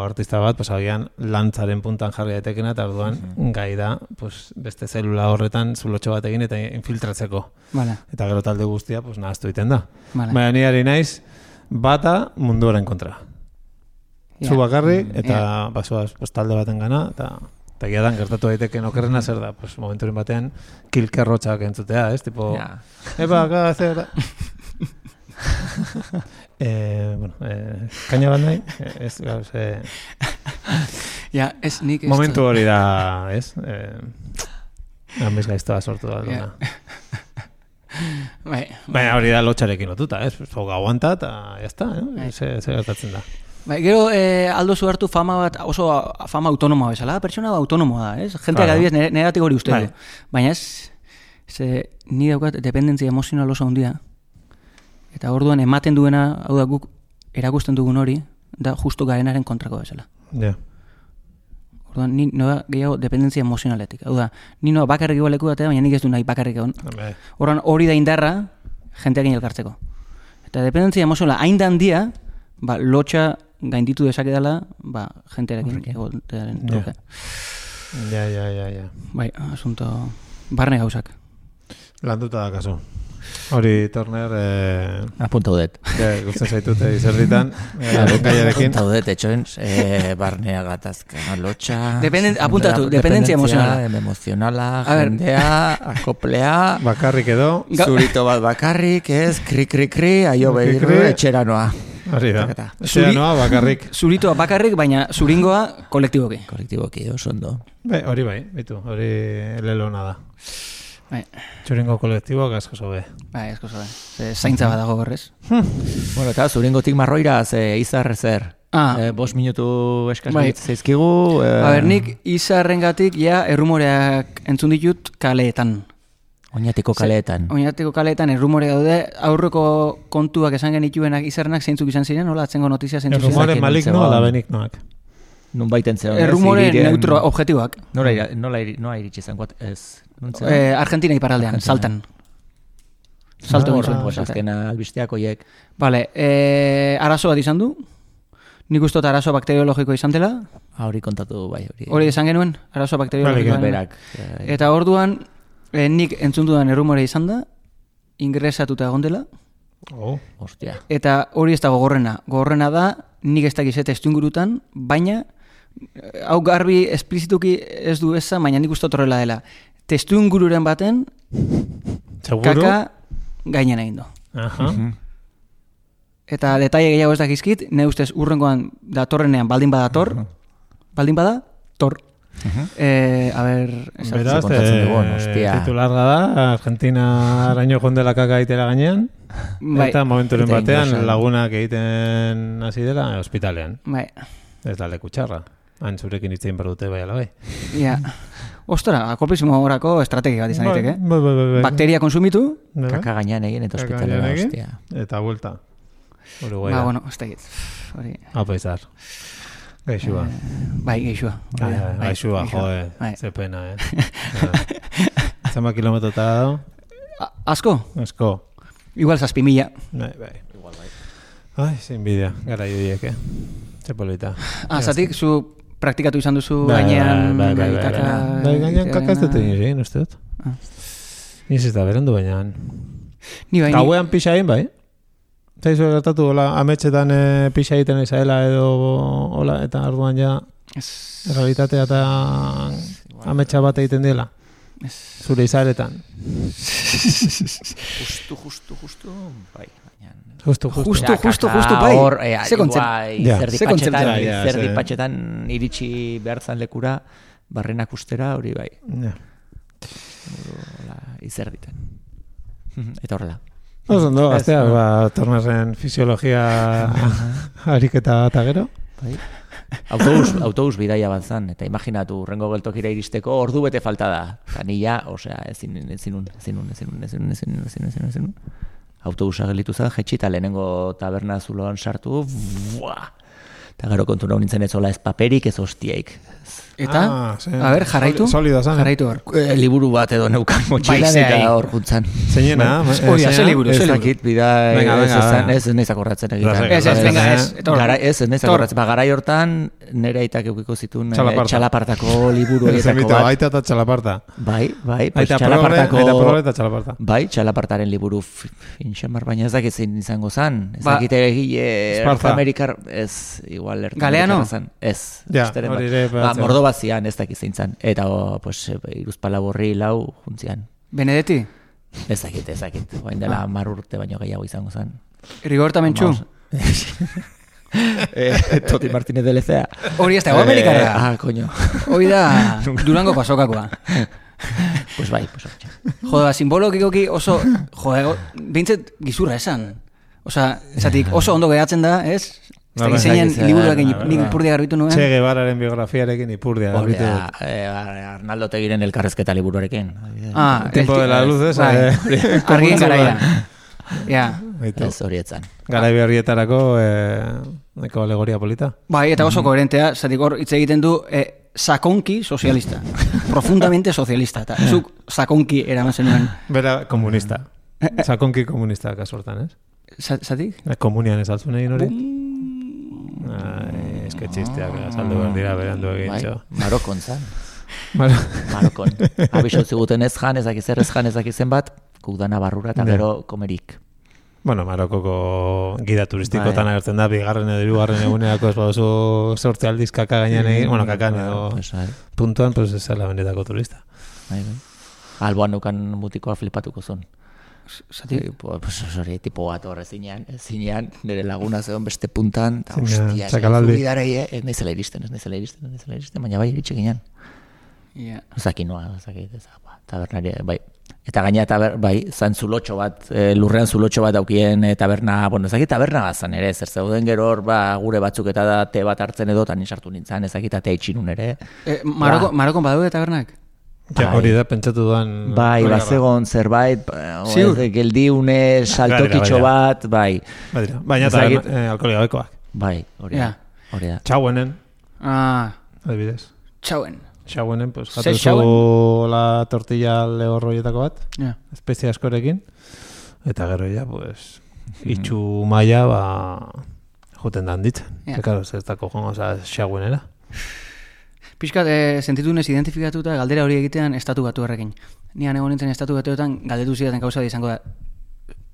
artista bat, pues agian lantzaren puntan jarri daitekena, eta orduan mm-hmm. gai da, pues, beste zelula horretan zulotxo bat egin eta infiltratzeko. Vale. Eta gero talde guztia, pues, nahaztu egiten da. Vale. Baina ni ari naiz, bata munduaren kontra. Yeah. Zu bakarri, eta yeah. basoaz pues, talde baten gana, eta egia dan gertatu daiteke okerrena zer da, pues, momenturen batean kilkerrotxak entzutea, ez? Tipo, yeah. Epa, acá, zer da. eh, bueno, eh, kaina bat nahi? Ez, gauz, eh... ja, ez nik... Momentu hori da, ez? Eh, Ambiz gaiztoa sortu da, duna. Bai, baina hori da lotxarekin lotuta, ez? Foga aguanta eta jazta, eh? Ze gertatzen da. Bai, gero eh, aldo zu hartu fama bat, oso fama autonomoa bezala, pertsona autonomoa da, ez? Jenteak adibidez negatik hori uste du. Baina ez, ze, ni daukat dependentzia emozional oso handia, eta orduan ematen duena, hau da guk erakusten dugun hori, da justo garenaren kontrako bezala. Ja. Yeah. Orduan, ni noa gehiago dependentzia emozionaletik. Hau da, ni noa bakarrik igual leku datea, baina nik ez du nahi bakarrik egon. Orduan, hori da indarra, jenteakin elkartzeko. Eta dependentzia emozionala hain da handia, ba, lotxa gainditu dezake dela, ba, jentearekin egotearen truke. Ja, ja, ja, ja. Bai, asunto, barne gauzak. Landuta da kaso. Hori, Turner... Eh, apunta udet. Ja, guztzen zaitute izerritan. Gaiarekin. Apunta udet, etxoen, eh, barnea gatazka, lotxa... Dependen, apuntatu, dependentzia emozionala. Emozionala, jendea, akoplea... Bakarrik edo... Zurito bat bakarrik, ez, kri, kri, kri, aio behirru, etxera noa. Hori da. Etxera noa, bakarrik. Zuritoa bakarrik, baina zuringoa kolektiboki. Kolektiboki, oso ondo. Be, hori bai, bitu, hori lelona da. Bai. Txuringo kolektiboak asko zobe. Bai, asko zobe. Zaintza bat dago horrez. Bueno, eta zuringotik marroira, ze izar zer. Ah. Eh, bos minutu eskaz bai. Zeizkigu. Eh... A ber, nik izarrengatik ja errumoreak entzun ditut kaleetan. Oñatiko kaleetan. Oñatiko kaleetan errumore daude. Aurreko kontuak esan genituenak izarrenak zeintzuk izan ziren, hola, atzengo notizia zeintzuk ziren. Errumore maligno ala benignoak. Nun baiten zeon. Errumore neutro objetiboak. Nola iritsi zen, guat, ez... Eh, Argentina iparraldean, saltan. Salto egin zuen. Pues azkena albisteak oiek. Vale, eh, arazo bat izan du. Nik uste arazo bakteriologiko izan dela. Hori kontatu bai. Hori izan genuen, arazo bakteriologiko. Berak. Eta orduan, eh, nik entzun dudan errumore izan da. ingresatuta egon dela, Oh. Ostia. eta hori ez da gogorrena. Gogorrena da, nik ez dakiz testu ingurutan, baina, eh, hau garbi esplizituki ez du eza, baina nik uste horrela dela. Testu ingururen baten, Seguro? kaka gainen egin du. Aha. Eta detaile gehiago ez dakizkit, ne ustez urrengoan datorrenean baldin badator, baldin bada, tor. Eh, a ver, esan- Beraz, kontatzen eh, dugun, hostia. titularra da, Argentina araño jondela kaka egitera gainean, bai, eta momenturen Eta batean ingresan. lagunak egiten hasi dela ospitalean. bai, Ez da leku txarra. Han zurekin hitzein behar dute bai alabai. ja. Ostora, alkoholismo horako estrategia bat izan daiteke. Bai, bai, bai, bai. Bakteria konsumitu, Bai, bai. Kaka gainean egin eta Kaka ospitalera, gainean egin, hostia. Eta vuelta. Uruguai ba, da. bueno, ez dakit. Hori, Apa izar. Gaixua. bai, geixua. Bai, bai, Gaixua, jode. Bai. Ze pena, eh. Ja. Zema kilometrota da, A- Asko? asko. Igual zazpi mila. Bai, bai. Ai, zein bidea, gara judiek, eh. Ze polita. Ah, zatik, zu praktikatu izan duzu Bai, gainean bai, bai, bai, kaka... bai. Bai, gainean kaka ez dut egin egin, uste dut. Ah. Niz ez da berandu baina. Ni bai, ni... Gauean pixa egin, bai. Zaizu gertatu, hola, ametxetan e, pixa egiten izaela edo, hola, eta arduan ja, Ez, realitatea eta ametxa bat egiten dela. ez. Zure izaretan. Justu, justu, justu, bai. baina- Justu, justu. Justu, Ja, justu, kaka justu, bai. Hor, eh, Ze kontzep- igual, Ja. izerdi Ze kontzeptu patxetan, da, ja, izerdi ze- patxetan iritsi behar zan lekura, barrenak ustera, hori bai, Ja. hola, izerditan. Eta horrela. Oso ondo, Ez, gaztea, no. ba, tornazen fisiologia ariketa eta gero. Bai. Autobus, autobus bidaia bat zan, eta imaginatu, urrengo geltokira iristeko ordu bete falta da. Eta nila, osea, ezin, ezinun, ezinun, ezinun, ezinun, ezinun, ezinun, ezinun, ezinun. Autobusa gelitu zen, jetxita lehenengo taberna zuloan sartu, buah! Eta gero kontu nahi nintzen ez zola ez paperik, ez hostiaik. Eta, Ah, ze- a ber, jarraitu? soli- Solido zan. Jarraitu hor. E, liburu bat edo neukan motxilan Bai, ze eta ahí. hor juntzan. Zeinena, eh, Hori da, ze zeina? liburu, Ez ze liburu. dakit, bida, Venga, ez venga, ezan, venga. ez ez nahiz akordatzen egiten. Lasai, Ez, ez, lasai, venga, lasai. ez. Etor. Gara, ez, ez nahiz Tor. akordatzen. Ba, garai hortan, nire aitak eukiko zituen eh, Txalaparta. txalapartako liburu Ez horietako emito, bat. aita eta txalaparta. Bai, bai, pues Aita progre, aita progre txalapartako... eta txalaparta. Bai, txalapartaren liburu f- finxamar, baina ez dakit zein izango zan. Ez Ba- dakit egile Esparza. Amerikar, ez, igual erta Galeano? amerikarra zan. Ez, Ja, besteren hori bat. ere Ba, batzen. mordo bat zian, ez dakit zein zan. Eta, o, pues, iruzpala borri lau juntzian. Benedetti? Ez dakit, ez dakit. Oain dela mar urte baino gehiago izango zan. Rigorta mentxu? Vamos. eh, Toti Martínez de Lecea. Hori ez da, hau amerikarra. Ah, coño. Hori da, Durango pasokakoa. Pues bai, pues hortxe. Joda, simbologikoki oso, joda, bintzet gizurra esan. Osa, esatik oso ondo geratzen da, ez? Ez Bai, dakit zeinen bai, liburuak bai, nik bai, nik bai. ipurdia garbitu nuen. Che Guevararen biografiarekin ipurdia. Hori garbitu da, dut. eh, Arnaldo Tegiren elkarrezketa liburuarekin. Ah, Tiempo el- de la luz, esa. bai. eh, Argien garaia. Ja. Baitu. Ez horietzan. Garai berrietarako eh, neko alegoria polita. Bai, eta oso koherentea, zatik hor hitz egiten du eh, sakonki sozialista. Profundamente sozialista. Eta zuk sakonki eraman zenuen. Bera komunista. Sakonki komunista kasortan, ez? Za- Zatik? Eh, Komunian ez altzun egin hori? Ai, eske txisteak azaldu behar dira berandu egin Bai, txo. Marokon zan. Bueno, Marokon. Abixo ziguten ez jan, ez dakiz zer, ez jan, ez dakiz zenbat, guk dana barrura eta Ja. gero komerik. bueno, Marokoko gida turistikotan Bai. agertzen da, bigarren edo hirugarren egunerako ez baduzu sortze aldiz kaka gainean egin, bueno, kakan edo Pues, bai, puntuan, pues ez zela benetako turista. bai, bai. Alboan nukan mutikoa flipatuko zuen. Zatik? Eh, Pues hori tipo bat horre zinean, zinean, nire laguna zegoen beste puntan, eta Zinean, hostia, txakalaldi. zubidarei, eh, ez naizela iristen, ez naizela iristen, ez naizela iristen, baina bai iritsi ginen. Ja. Zaki noa, zaki, ez ba, tabernari, bai. Eta gaina taber, bai, zan zulotxo bat, e, lurrean zulotxo bat daukien e, taberna, bueno, ezakit taberna bazan ere, zer zeuden gero hor, ba, gure batzuk eta da te bat hartzen edo, tan sartu nintzen, ezakit atea itxinun ere. Eh, Maroko, Marokon badaude tabernak? Ja, Bai. hori da, pentsatu duan... Bai, hori da, bazegon zerbait, ba, o, Ziur? ez, geldiune, saltokitxo Badira, bat, bai, Badira. Baina Ez eta dakit. eh, alkoholia bekoak. bai, hori Ja. da, hori da. Txauenen, Ah, adibidez. txauen. Txauenen, pues, Ze jatu zu la tortilla lehorroietako bat, Ja. espezia askorekin, eta gero ja, pues, itxu maila, ba, juten da handitzen. Ja. Ja. Claro, ez dako jongo, oza, txauenera. Piskat, eh, sentitu nez identifikatuta galdera hori egitean estatu batu errekin. Nian egon nintzen estatu batuetan galdetu zidaten gauza izango da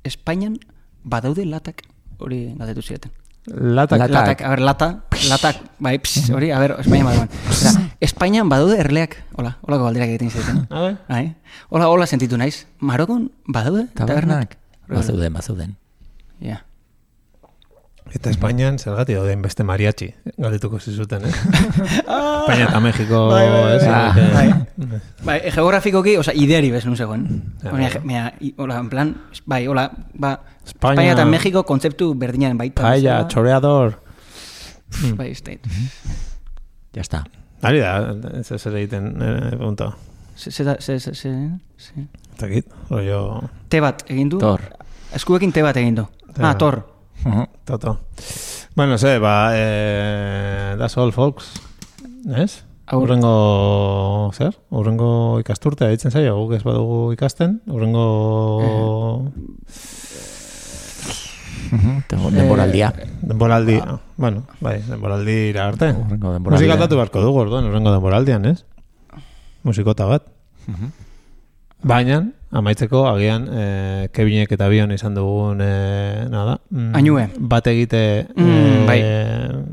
Espainian badaude latak hori galdetu zieten. Latak. Latak. Latak, a ber, lata, latak, bai, pss, hori, a ber, Espainian badaude. Eta, Espainian badaude erleak, hola, holako galderak egiten zieten. A ver. Bai, hola, hola sentitu naiz. Marokon badaude Tabernak. tabernak? Bazeuden, bazeuden. Ja. Eta Espainian zergatik dauden beste mariachi, galdetuko zizuten, eh? Espainia eta Mexiko, Bai, bai, bai. ez? Ah, Eh, bai. Bai, e, geografikoki, oza, ideari bez nun zegoen. Ja, Hori, bai. mea, i- hola, en plan, bai, hola, ba, Espainia- Espainia eta Mexiko kontzeptu berdinen baita. Paella, bezala. choreador. Bai, state. Ya está. Ari da, ez ez ere egiten, eh, punto. Se, se, da- se, se, se, se. Eta kit, rollo... Te bat egin du. Tor. Eskuekin te bat egin du. Te Ah, bat. tor. Toto. Bueno, ze, ba, eh, that's all, folks. Ez? Aur- Urrengo, zer? Urrengo ikasturtea ditzen zaio, guk ez badugu ikasten. Urrengo... Denboraldia. Denboraldi, bueno, bai, denboraldi arte. Urrengo denboraldia. Musika aldatu beharko dugu, orduan, urrengo denboraldian, ez? Musikota bat. Baina, amaitzeko, agian, eh, Kevinek eta Bion izan dugun, eh, nada, mm, Ainue. bat egite, Mm, bai. eh,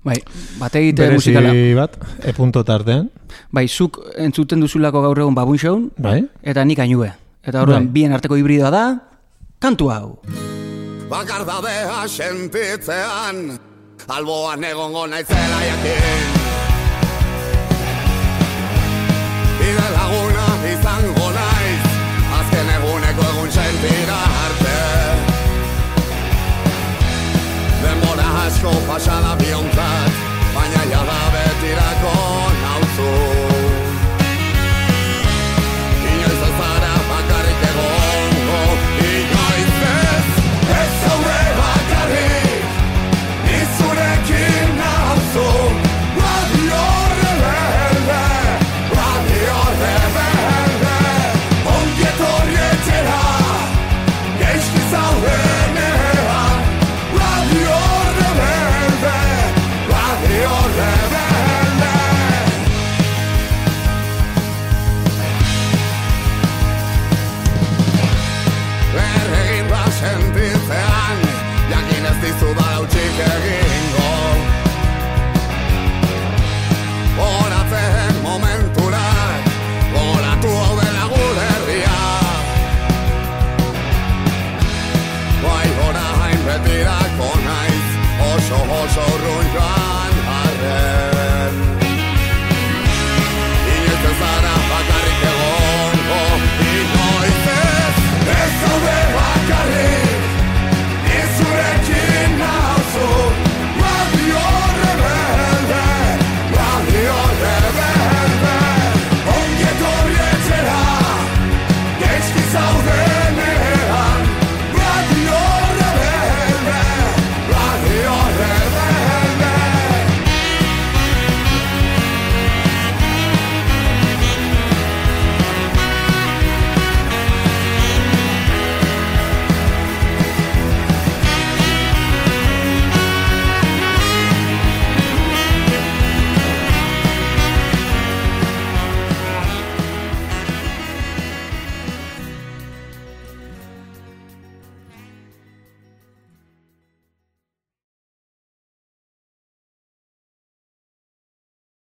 Bai, bat egite berezi musikala. bat, e punto tartean, Bai, zuk entzuten duzulako gaur egun babun shown, bai? eta nik ainue. Eta orduan, Bai. bien arteko hibridoa da, kantu hau. Bakardadea sentitzean alboan egongo naizela jakin Bide laguna izango naiz azken eguneko egun sentira arte Denbora asko pasada biontzat baina